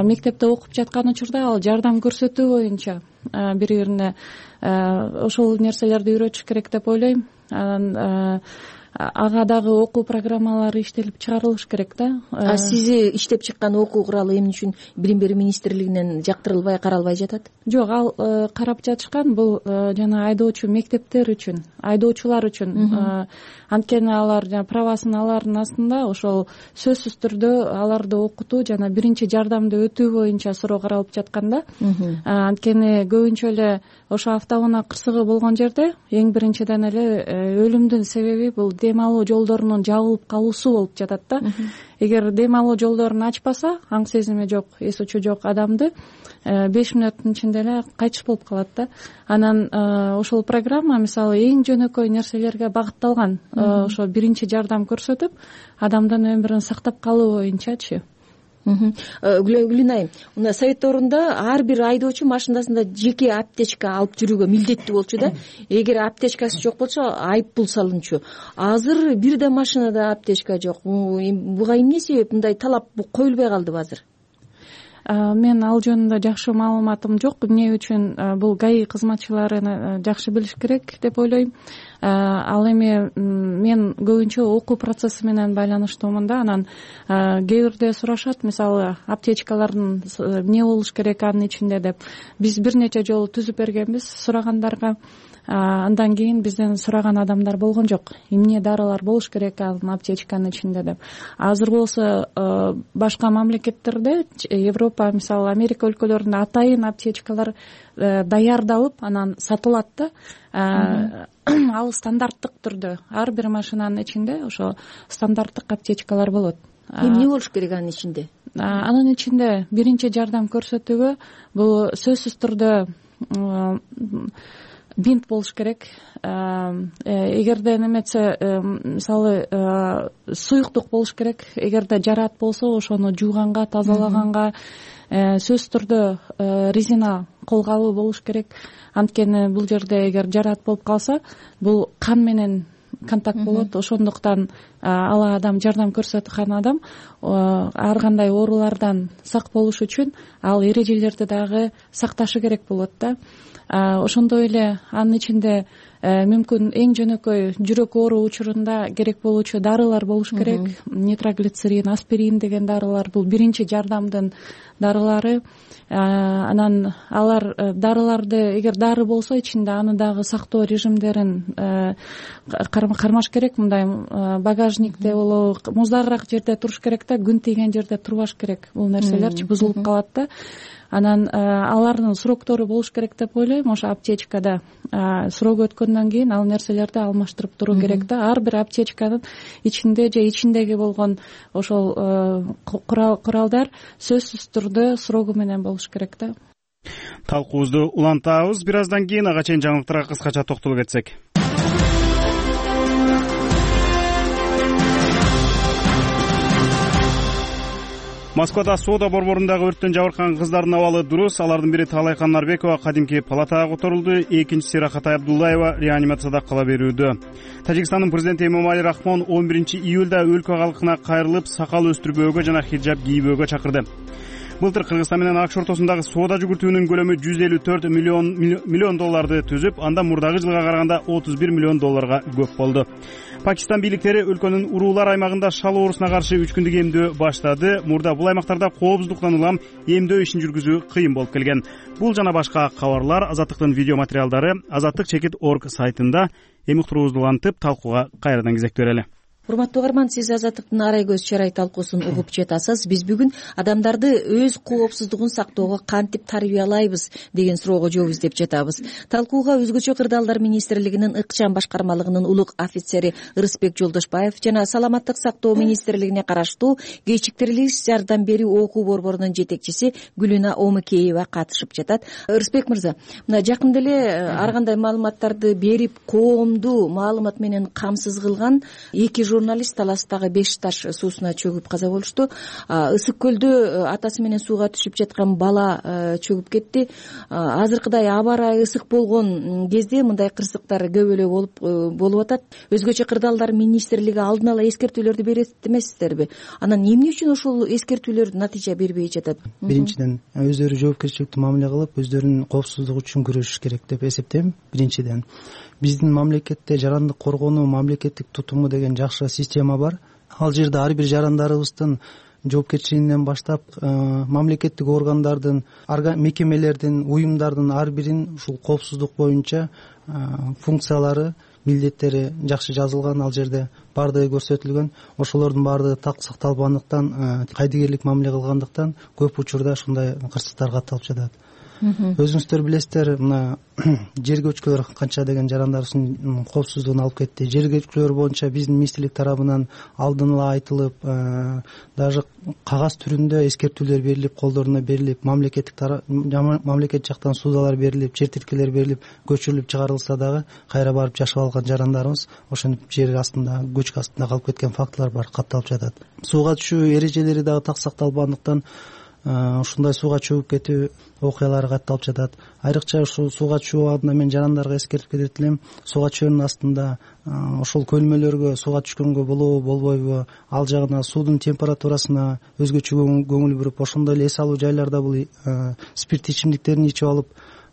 мектепте окуп жаткан учурда ал жардам көрсөтүү боюнча бири бирине ошол нерселерди үйрөтүш керек деп ойлойм. Анан ага дагы окуу программалары иштелип чыгарылыш керек да. А сизи иштеп чыккан окуу куралы эмне үчүн билим берүү министрлигинен жактырылбай, каралбай жатат? Жок, ал карап жатышкан бул жана айдоочу мектептер үчүн, айдоочулар үчүн. Анткени алар жана правасын алардын астында ошол сөзсүз түрдө аларды окутуу жана биринчи жардамды өтүү боюнча суроо каралып жаткан да. Анткени көбүнчө эле ошо автоунаа кырсыгы болгон жерде эң биринчиден эле өлүмдүн себеби бул дем алуу жолдорунун жабылып калуусу болуп жатат да. Эгер дем алуу жолдорун ачпаса, аң сезими жок, эс учу жок адамды беш мүнөттүн ичинде эле кайтыш болуп калат да. Анан ошол программа мисалы эң жөнөкөй нерселерге багытталган. Ошо биринчи жардам көрсөтүп, адамдын өмүрүн сактап калуу боюнчачы. Гүлен айым, мына совет доорунда ар бир айдоочу машинасында жеке аптечка алып жүрүүгө милдеттүү болчу да. Эгер аптечкасы жок болсо, айып пул салынчу. Азыр бир да машинада аптечка жок. Буга эмне себеп? Мындай талап коюлбай калдыбы азыр? Мен ал жөнүндө жакшы маалыматым жок. Эмне үчүн бул ГАИ кызматчылары жакшы билиш керек деп ойлойм. Ал эми мен көбүнчө окуу процесси менен байланыштуумун да. Анан кээ бирде сурашат, мисалы аптечкалардын эмне болуш керек анын ичинде деп. Биз бир нече жолу түзүп бергенбиз сурагандарга. Андан кийин бизден сураган адамдар болгон жок. Эмне дарылар болуш керек анын аптечканын ичинде деп. Азыр болсо башка мамлекеттерде, Европа, мисалы Америка өлкөлөрүндө атайын аптечкалар даярдалып анан сатылат да. Ал стандарттык түрдө ар бир машинанын ичинде ошо стандарттык аптечкалар болот. Эмне болуш керек анын ичинде? Анын ичинде биринчи жардам көрсөтүүгө бул сөзсүз түрдө бинт болуш керек. Эгерде неметсе, мисалы суюктук болуш керек. Эгерде жараат болсо ошону жууганга, тазалаганга сөзсүз түрдө резина колгабы болуш керек. Анткени бул жерде эгер жараат болуп калса, бул кан менен контакт болот. Ошондуктан ал адам, жардам көрсөткөн адам ар кандай оорулардан сак болуш үчүн ал эрежелерди дагы сакташы керек болот да. Ошондой эле анын ичинде мүмкүн эң жөнөкөй жүрөк оору учурунда керек болуучу дарылар болуш керек. Нитроглицерин, аспирин деген дарылар бул биринчи жардамдын дарылары. Анан алар дарыларды эгер дары болсо ичинде аны дагы сактоо режимдерин кармаш керек. Мындай багажникте болобу, муздагыраак жерде туруш керек да, күн тийген жерде турбаш керек. Бул нерселерчи бузулуп калат да. Анан алардын сроктору болуш керек деп ойлойм. Ошо аптечкада срок өткөндөн кийин ал нерселерди алмаштырып туруу керек да. Ар бир аптечканын ичинде же ичиндеги болгон ошол куралдар сөзсүз түрдө срогу менен болуш керек да. Талкуубузду улантабыз. Бир аздан кийин ага чейин жаңылыктарга кыскача токтолуп кетсек. Москвада соода борборундагы өрттөн жабыркаган кыздардын абалы дурус. Алардын бири Таалайкан Нарбекова кадимки палатага которулду. Экинчиси Рахатай Абдуллаева реанимацияда кала берүүдө. Тажикстандын президенти Эмомали Рахмон он биринчи июлда өлкө калкына кайрылып, сакал өстүрбөөгө жана хиджаб кийбөөгө чакырды. Былтыр Кыргызстан менен АКШ ортосундагы соода жүгүртүүнүн көлөмү жүз элүү төрт миллион долларды түзүп, анда мурдагы жылга караганда отуз бир миллион долларга көп болду. Пакистан бийликтери өлкөнүн уруулар аймагында шал оорусуна каршы үч күндүк эмдөө баштады. Мурда бул аймактарда коопсуздуктан улам эмдөө ишин жүргүзүү кыйын болуп келген. Бул жана башка кабарлар Азаттыктын видео материалдары азаттык чекит орг сайтында. Эми уктуруубузду улантып, талкууга кайрадан кезектеп берели. Урматтуу угарман, сиз Азаттыктын арай көз чарай талкуусун угуп жатасыз. Биз бүгүн адамдарды өз коопсуздугун сактоого кантип тарбиялайбыз деген суроого жооп издеп жатабыз. Талкууга Өзгөчө кырдаалдар министрлигинин ыкчам башкармалыгынын улук офицери Ырысбек Жолдошбаев жана Саламаттык сактоо министрлигине караштуу кечиктирилгис жардам берүү окуу борборунун жетекчиси Гүлүна Омукеева катышып жатат. Ырысбек мырза, мына жакында эле ар кандай маалыматтарды берип, коомду маалымат менен камсыз кылган эки журналист Таластагы беш таш суусуна чөгүп каза болушту. Ысык көлдө атасы менен сууга түшүп жаткан бала чөгүп кетти. Азыркыдай аба ырайы ысык болгон кезде мындай кырсыктар көп эле болуп болуп атат. Өзгөчө кырдаалдар министрлиги алдын ала эскертүүлөрдү берет эмессиздерби? Анан эмне үчүн ошол эскертүүлөр натыйжа бербей жатат? Биринчиден, өздөрү жоопкерчиликтүү мамиле кылып, өздөрүнүн коопсуздугу үчүн күрөшүш керек деп эсептейм. Биринчиден, биздин мамлекетте жарандык коргонуу мамлекеттик тутуму деген жакшы система бар. Ал жерде ар бир жарандарыбыздын жоопкерчилигинен баштап мамлекеттик органдардын, мекемелердин, уюмдардын ар биринин ушул коопсуздук боюнча функциялары, милдеттери жакшы жазылган. Ал жерде баардыгы көрсөтүлгөн. Ошолордун баардыгы так сакталбагандыктан, кайдыгерлик мамиле кылгандыктан көп учурда ушундай кырсыктар катталып жатат. Өзүңүздөр билесиздер, мына жер көчкүлөр канча деген жарандарыбыздын коопсуздугун алып кетти. Жер көчкүлөр боюнча биздин министрлик тарабынан алдын ала айтылып, даже кагаз түрүндө эскертүүлөр берилип, колдоруна берилип, мамлекеттик мамлекет жактан суудалар берилип, жер тилкелер берилип, көчүрүлүп чыгарылса дагы кайра барып жашап алган жарандарыбыз ошентип жер астында, көчкү астында калып кеткен фактылар бар, катталып жатат. Сууга түшүү эрежелери дагы так сакталбагандыктан ушундай сууга чөгүп кетүү окуялары катталып жатат. Айрыкча ушул сууга түшүү абагында мен жарандарга эскертип кетет элем. Сууга түшүүнүн астында ошол көлмөлөргө сууга түшкөнгө болобу, болбойбу, ал жагына суудун температурасына өзгөчө көңүл буруп, ошондой эле эс алуу жайларда бул спирттүү ичимдиктерин ичип алып,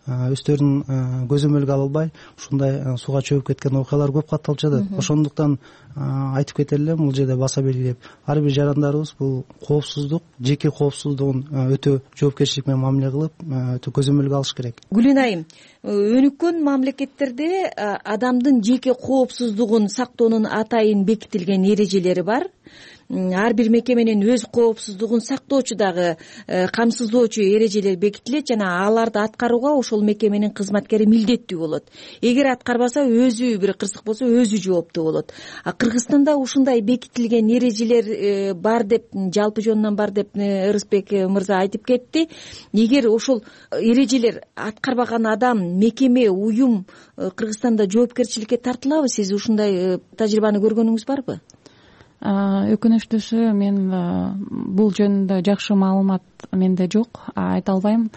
өздөрүн көзөмөлгө ала албай ушундай сууга чөгүп кеткен окуялар көп катталып жатат. Ошондуктан айтып кетер элем, бул жерде баса белгилеп, ар бир жарандарыбыз бул коопсуздук, жеке коопсуздугун өтө жоопкерчилик менен мамиле кылып, өтө көзөмөлгө алыш керек. Гүлүн айым, өнүккөн мамлекеттерде адамдын жеке коопсуздугун сактоонун атайын бекитилген эрежелери бар. ар бир мекеменин өз коопсуздугун сактоочу дагы камсыздоочу эрежелер бекитилет жана аларды аткарууга ошол мекеменин кызматкери милдеттүү болот. Эгер аткарбаса өзү бир кырсык болсо өзү жооптуу болот. А Кыргызстанда ушундай бекитилген эрежелер бар деп, жалпы жөнүнөн бар деп Ырысбек мырза айтып кетти. Эгер ошол эрежелер аткарбаган адам, мекеме, уюм Кыргызстанда жоопкерчиликке тартылабы? Сиз ушундай тажрыйбаны көргөнүңүз барбы? Өкүнүчтүүсү мен бул жөнүндө жакшы маалымат менде жок, айта албайм.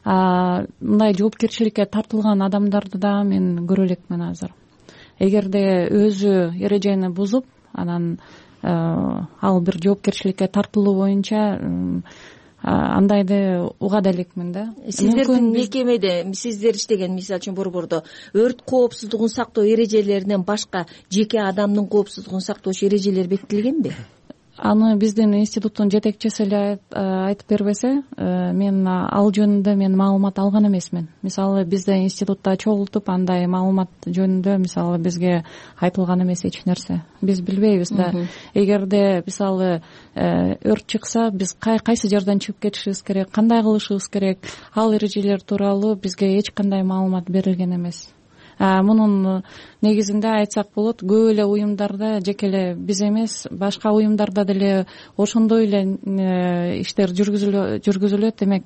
Мындай жоопкерчиликке тартылган адамдарды да мен көрө элекмин азыр. Эгерде өзү эрежени бузуп, анан ал бир жоопкерчиликке тартылуу боюнча андайды уга да элекмин да. Сиздердин мекемеде, сиздер иштеген, мисалы үчүн борбордо өрт коопсуздугун сактоо эрежелеринен башка жеке адамдын коопсуздугун сактоочу эрежелер бекитилгенби? Аны биздин институттун жетекчиси эле айтып бербесе, мен ал жөнүндө мен маалымат алган эмесмин. Мисалы бизде институтта чогултуп андай маалымат жөнүндө мисалы бизге айтылган эмес эч нерсе. Биз билбейбиз да. Эгерде мисалы өрт чыкса, биз кайсы жерден чыгып кетишибиз керек, кандай кылышыбыз керек, ал эрежелер тууралуу бизге эч кандай маалымат берилген эмес. Мунун негизинде айтсак болот, көп эле уюмдарда жеке эле биз эмес, башка уюмдарда деле ошондой эле иштер жүргүзүлөт. Демек,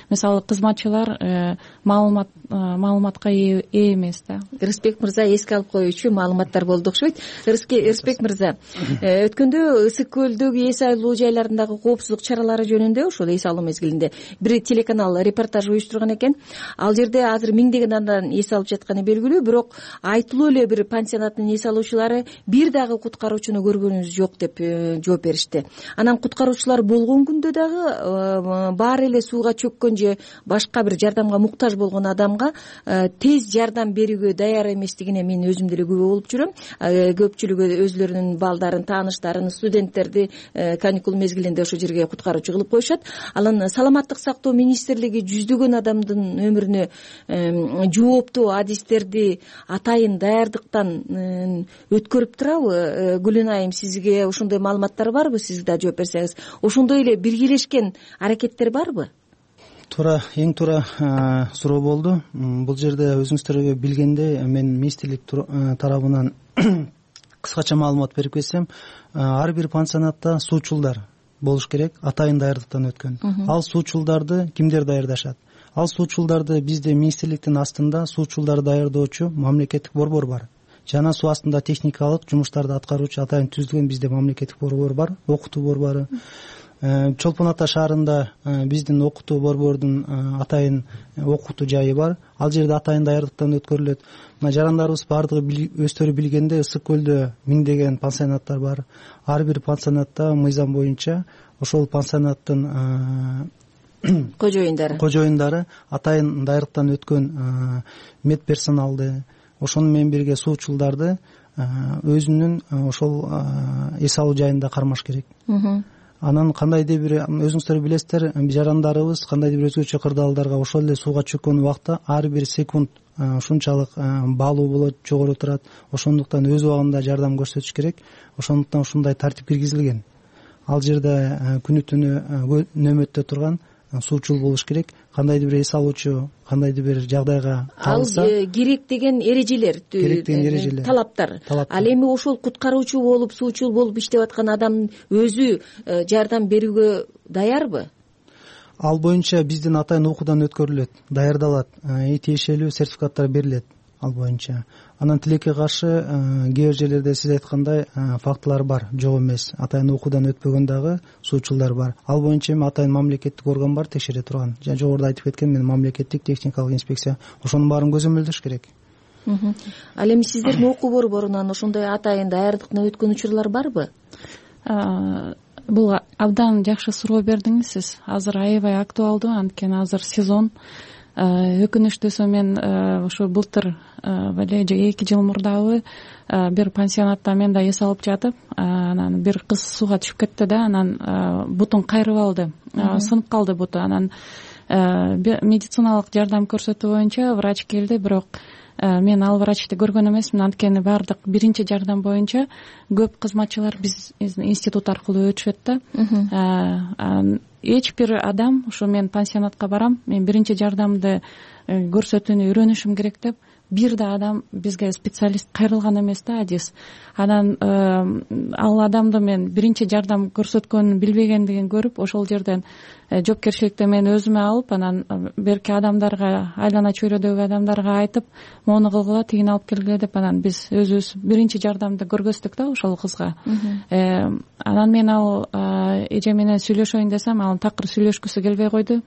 мисалы кызматчылар маалымат маалыматка ээ эмес да. Ырысбек мырза эске алып коюучу маалыматтар болду окшойт. Ырысбек мырза, өткөндө Ысык көлдөгү эс айлуу жайларындагы коопсуздук чаралары жөнүндө ошол эс алуу мезгилинде бир телеканал репортаж уюштурган экен. Ал жерде азыр миңдеген адам эс алып жатканы белгилүү, бирок айтылуу эле бир пансионаттын эс алуучулары бир дагы куткаруучуну көргөнүбүз жок деп жооп беришти. Анан куткаруучулар болгон күндө дагы баары эле сууга чөккөн же башка бир жардамга муктаж болгон адамга тез жардам берүүгө даяр эместигине мен өзүм деле күбө болуп жүрөм. Көпчүлүгү өзлөрүнүн балдарын, тааныштарын, студенттерди каникул мезгилинде ошол жерге куткаруучу кылып коюшат. Анан саламаттык сактоо министрлиги жүздөгөн адамдын өмүрүнө жооптуу адистерди атайын даярдыктан өткөрүп турабы? Гүлүн айым, сизге ошондой маалыматтар барбы? Сиз да жооп берсеңиз. Ошондой эле биргелешкен аракеттер барбы? Туура, эң туура суроо болду. Бул жерде өзүңүздөр билгендей, мен министрлик тарабынан кыскача маалымат берип кетсем, ар бир пансионатта суучулдар болуш керек, атайын даярдыктан өткөн. Ал суучулдарды кимдер даярдашат? Ал суучулдарды бизде министрликтин астында суучулдарды даярдоочу мамлекеттик борбор бар. Жана суу астында техникалык жумуштарды аткаруучу атайын түзүлгөн бизде мамлекеттик борбор бар, окутуу борбору. Чолпон Ата шаарында биздин окутуу борбордун атайын окутуу жайы бар. Ал жерде атайын даярдыктан өткөрүлөт. Мына жарандарыбыз баардыгы өздөрү билгенде Ысык көлдө миңдеген пансионаттар бар. Ар бир пансионатта мыйзам боюнча ошол пансионаттын кожоюндары кожоюндары атайын даярдыктан өткөн медперсоналды, ошону менен бирге суучулдарды өзүнүн ошол эс алуу жайында кармаш керек. Анан кандайдыр бир, өзүңүздөр билесиздер, жарандарыбыз кандайдыр бир өзгөчө кырдаалдарга ошол эле сууга чөккөн убакта ар бир секунд ушунчалык баалуу болот, жогору турат. Ошондуктан өз убагында жардам көрсөтүш керек. Ошондуктан ушундай тартип киргизилген. Ал жерде күнү түнү нөмөттө турган суучул болуш керек. Кандайдыр бир эс алуучу кандайдыр бир жагдайга калса, ал керек деген эрежелер, керек деген эрежелер, талаптар. Ал эми ошол куткаруучу болуп, суучул болуп иштеп аткан адам өзү жардам берүүгө даярбы? Ал боюнча биздин атайын окуудан өткөрүлөт, даярдалат, тиешелүү сертификаттар берилет ал боюнча. Анан тилекке каршы кээ бир жерлерде сиз айткандай фактылар бар, жок эмес. Атайын окуудан өтпөгөн дагы суучулдар бар. Ал боюнча эми атайын мамлекеттик орган бар, текшере турган. Жана жогоруда айтып кеткен мен мамлекеттик техникалык инспекция, ошонун баарын көзөмөлдөш керек. Ал эми сиздердин окуу борборунан ошондой атайын даярдыктан өткөн учурлар барбы? Бул абдан жакшы суроо бердиңиз сиз. Азыр аябай актуалдуу, анткени азыр сезон. Өкүнүчтүүсү мен ушу былтыр эле же эки жыл мурдабы бир пансионатта мен да эс алып жатып, анан бир кыз сууга түшүп кетти да, анан бутун кайрып алды, сынып калды буту. Анан медициналык жардам көрсөтүү боюнча врач келди, бирок мен ал врачты көргөн эмесмин, анткени баардык биринчи жардам боюнча көп кызматчылар биз институт аркылуу өтүшөт да. Эч бир адам, ушу мен пансионатка барам, мен биринчи жардамды көрсөтүүнү үйрөнүшүм керек деп, бир да адам бизге специалист кайрылган эмес да, адис. Анан ал адамды мен биринчи жардам көрсөткөнүн билбегендигин көрүп, ошол жерден жоопкерчиликти мен өзүмө алып, анан берки адамдарга, айлана чөйрөдөгү адамдарга айтып, мону кылгыла, тигини алып келгиле деп, анан биз өзүбүз биринчи жардамды көргөздүк да ошол кызга. Анан мен ал эже менен сүйлөшөйүн десем, ал такыр сүйлөшкүсү келбей койду.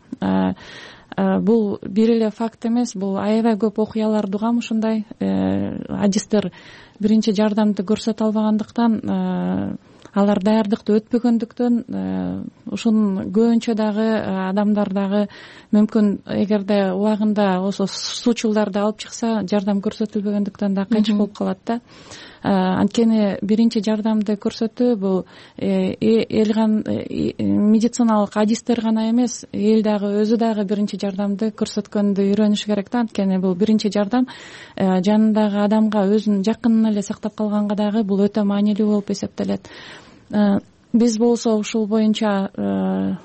Бул бир эле факт эмес, бул аябай көп окуяларды угам ушундай. Адистер биринчи жардамды көрсөтө албагандыктан, алар даярдыкты өтпөгөндүктөн, ушунун көбүнчө дагы адамдар дагы мүмкүн эгерде убагында ошо суучулдарды алып чыкса, жардам көрсөтүлбөгөндүктөн да кайчык болуп калат да. Анткени биринчи жардамды көрсөтүү бул эл медициналык адистер гана эмес, эл дагы өзү дагы биринчи жардамды көрсөткөндү үйрөнүш керек да. Анткени бул биринчи жардам жанындагы адамга, өзүнүн жакынын эле сактап калганга дагы бул өтө маанилүү болуп эсептелет. Биз болсо ушул боюнча,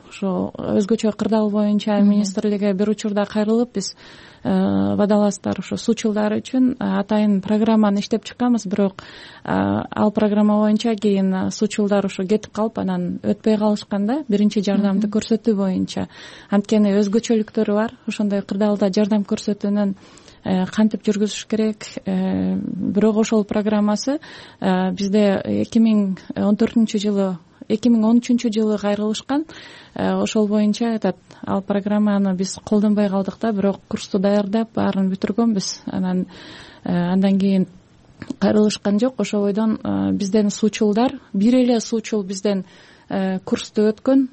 ошо өзгөчө кырдаал боюнча министрликке бир учурда кайрылып, биз водолаздар, ошо суучулдар үчүн атайын программаны иштеп чыкканбыз, бирок ал программа боюнча кийин суучулдар ошо кетип калып, анан өтпөй калышкан да биринчи жардамды көрсөтүү боюнча. Анткени өзгөчөлүктөрү бар. Ошондой кырдаалда жардам көрсөтүүнүн кантип жүргүзүш керек. Бирок ошол программасы бизде эки миң он төртүнчү жылы эки миң он үчүнчү жылы кайрылышкан. Ошол боюнча этот ал программаны биз колдонбой калдык да, бирок курсту даярдап баарын бүтүргөнбүз. Анан андан кийин кайрылышкан жок. Ошол бойдон бизден суучулдар, бир эле суучул бизден курсту өткөн,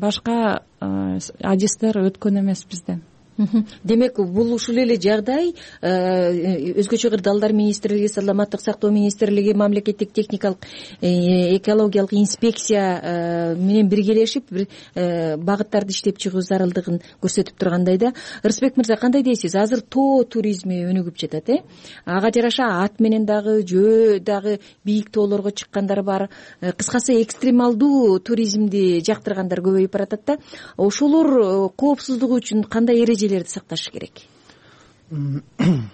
башка адистер өткөн эмес бизден. Демек, бул ушул эле жагдай өзгөчө кырдаалдар министрлиги, саламаттык сактоо министрлиги, мамлекеттик техникалык экологиялык инспекция менен биргелешип бир багыттарды иштеп чыгуу зарылдыгын көрсөтүп тургандай да. Ырысбек мырза, кандай дейсиз? Азыр тоо туризми өнүгүп жатат, э? Ага жараша ат менен дагы, жөө дагы бийик тоолорго чыккандар бар. Кыскасы, экстремалдуу туризмди жактыргандар көбөйүп баратат да. Ошолор коопсуздугу үчүн кандай эреже сакташ керек?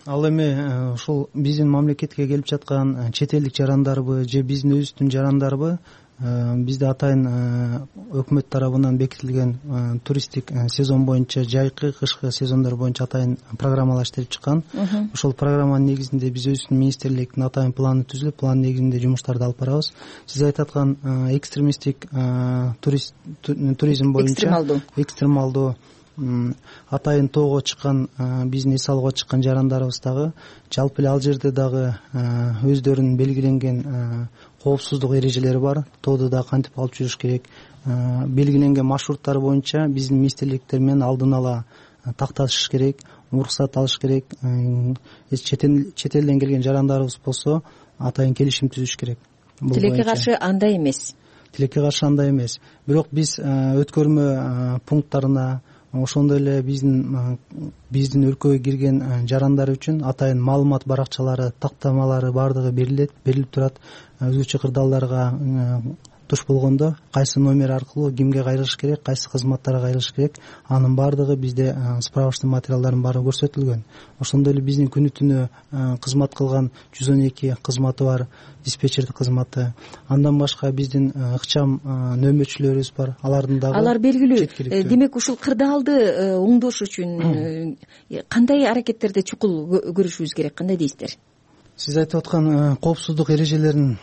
Ал эми ушул биздин мамлекетке келип жаткан чет элдик жарандарбы же биздин өзүбүздүн жарандарбы, бизде атайын өкмөт тарабынан бекитилген туристтик сезон боюнча, жайкы, кышкы сезондор боюнча атайын программалар иштелип чыккан. Ошол программанын негизинде биз өзүбүздүн министрликтин атайын планы түзүлүп, план негизинде жумуштарды алып барабыз. Сиз айтып аткан экстремисттик туризм боюнча, экстремалдуу экстремалдуу атайын тоого чыккан, биздин эс алууга чыккан жарандарыбыз дагы жалпы эле ал жерде дагы өздөрүнүн белгиленген коопсуздук эрежелери бар. Тоодо дагы кантип алып жүрүш керек, белгиленген маршруттар боюнча биздин министрликтер менен алдын ала такташыш керек, уруксат алыш керек. Чет элден келген жарандарыбыз болсо атайын келишим түзүш керек. Тилекке каршы андай эмес. Тилекке каршы андай эмес. Бирок биз өткөрмө пункттарына, ошондой эле биздин биздин өлкөгө кирген жарандар үчүн атайын маалымат баракчалары, тактамалары баардыгы берилет, берилип турат. Өзгөчө кырдаалдарга туш болгондо кайсы номер аркылуу кимге кайрылыш керек, кайсы кызматтарга кайрылыш керек, анын баардыгы бизде справочный материалдардын баары көрсөтүлгөн. Ошондой эле биздин күнү түнү кызмат кылган жүз он эки кызматы бар, диспетчердик кызматы. Андан башка биздин ыкчам нөөмөтчүлөрүбүз бар. Алардын дагы алар белгилүү. Демек, ушул кырдаалды оңдош үчүн кандай аракеттерди чукул көрүшүбүз керек? Кандай дейсиздер? Сиз айтып аткан коопсуздук эрежелерин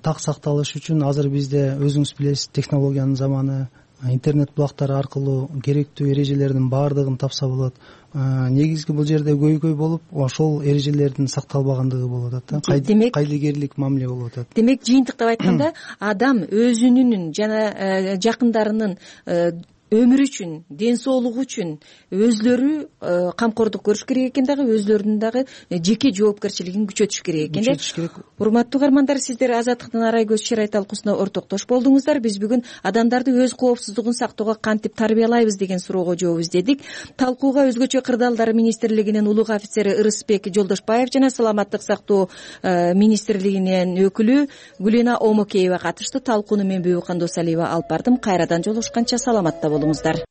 так сакталыш үчүн азыр бизде өзүңүз билесиз, технологиянын заманы, интернет булактары аркылуу керектүү эрежелердин баардыгын тапса болот. Негизги бул жерде көйгөй болуп, ошол эрежелердин сакталбагандыгы болуп атат да. Кайдыгерлик мамиле болуп атат. Демек, жыйынтыктап айтканда, адам өзүнүн жана жакындарынын өмүрү үчүн, ден соолугу үчүн өзлөрү камкордук көрүш керек экен, дагы өзлөрүнүн дагы жеке жоопкерчилигин күчөтүш керек экен. Күчөтүш керек. Урматтуу угармандар, сиздер Азаттыктын Арай көз чырай талкуусуна ортоктош болдуңуздар. Биз бүгүн адамдарды өз коопсуздугун сактоого кантип тарбиялайбыз деген суроого жооп издедик. Талкууга өзгөчө кырдаалдар министрлигинин улуг офицери Ырысбек Жолдошбаев жана саламаттык сактоо министрлигинин өкүлү Гүлена Омокеева катышты. Талкууну мен Бүбүкан Досалиева алып бардым. Кайрадан жолугушканча саламатта болуңуздар.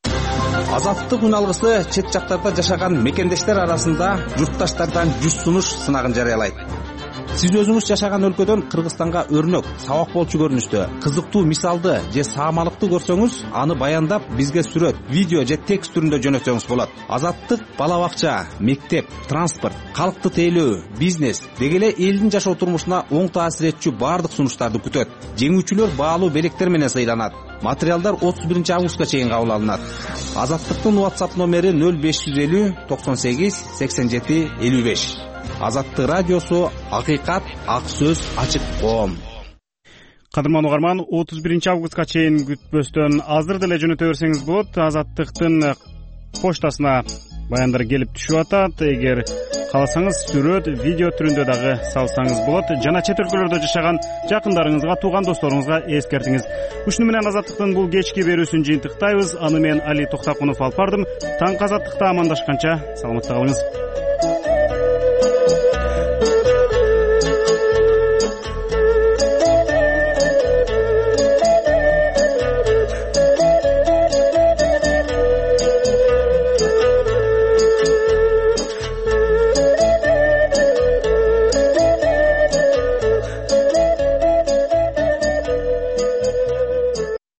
Азаттык үналгысы чет жактарда жашаган мекендештер арасында журтташтардан жүз сунуш сынагын жарыялайт. Сиз өзүңүз жашаган өлкөдөн Кыргызстанга өрнөк, сабак болчу көрүнүштө кызыктуу мисалды же саамалыкты көрсөңүз, аны баяндап бизге сүрөт, видео же текст түрүндө жөнөтсөңүз болот. Азаттык бала бакча, мектеп, транспорт, калкты тейлөө, бизнес деги эле элдин жашоо турмушуна оң таасир этчү баардык сунуштарды күтөт. Жеңүүчүлөр баалуу белектер менен сыйланат. Материалдар отуз биринчи августка чейин кабыл алынат. Азаттыктын WhatsApp номери нөл беш жүз элүү токсон сегиз сексен жети элүү беш. Азаттык радиосу, акыйкат, ак сөз, ачык коом. Кадырман угарман, отуз биринчи августка чейин күтпөстөн азыр деле жөнөтө берсеңиз болот. Азаттыктын поштасына баяндар келип түшүп атат. Эгер кааласаңыз сүрөт, видео түрүндө дагы салсаңыз болот. Жана чет өлкөлөрдө жашаган жакындарыңызга, тууган досторуңузга эскертиңиз. Ушуну менен Азаттыктын бул кечки берүүсүн жыйынтыктайбыз. Аны мен Али Токтакунов алып бардым. Таң азаттыкта амандашканча саламатта калыңыз.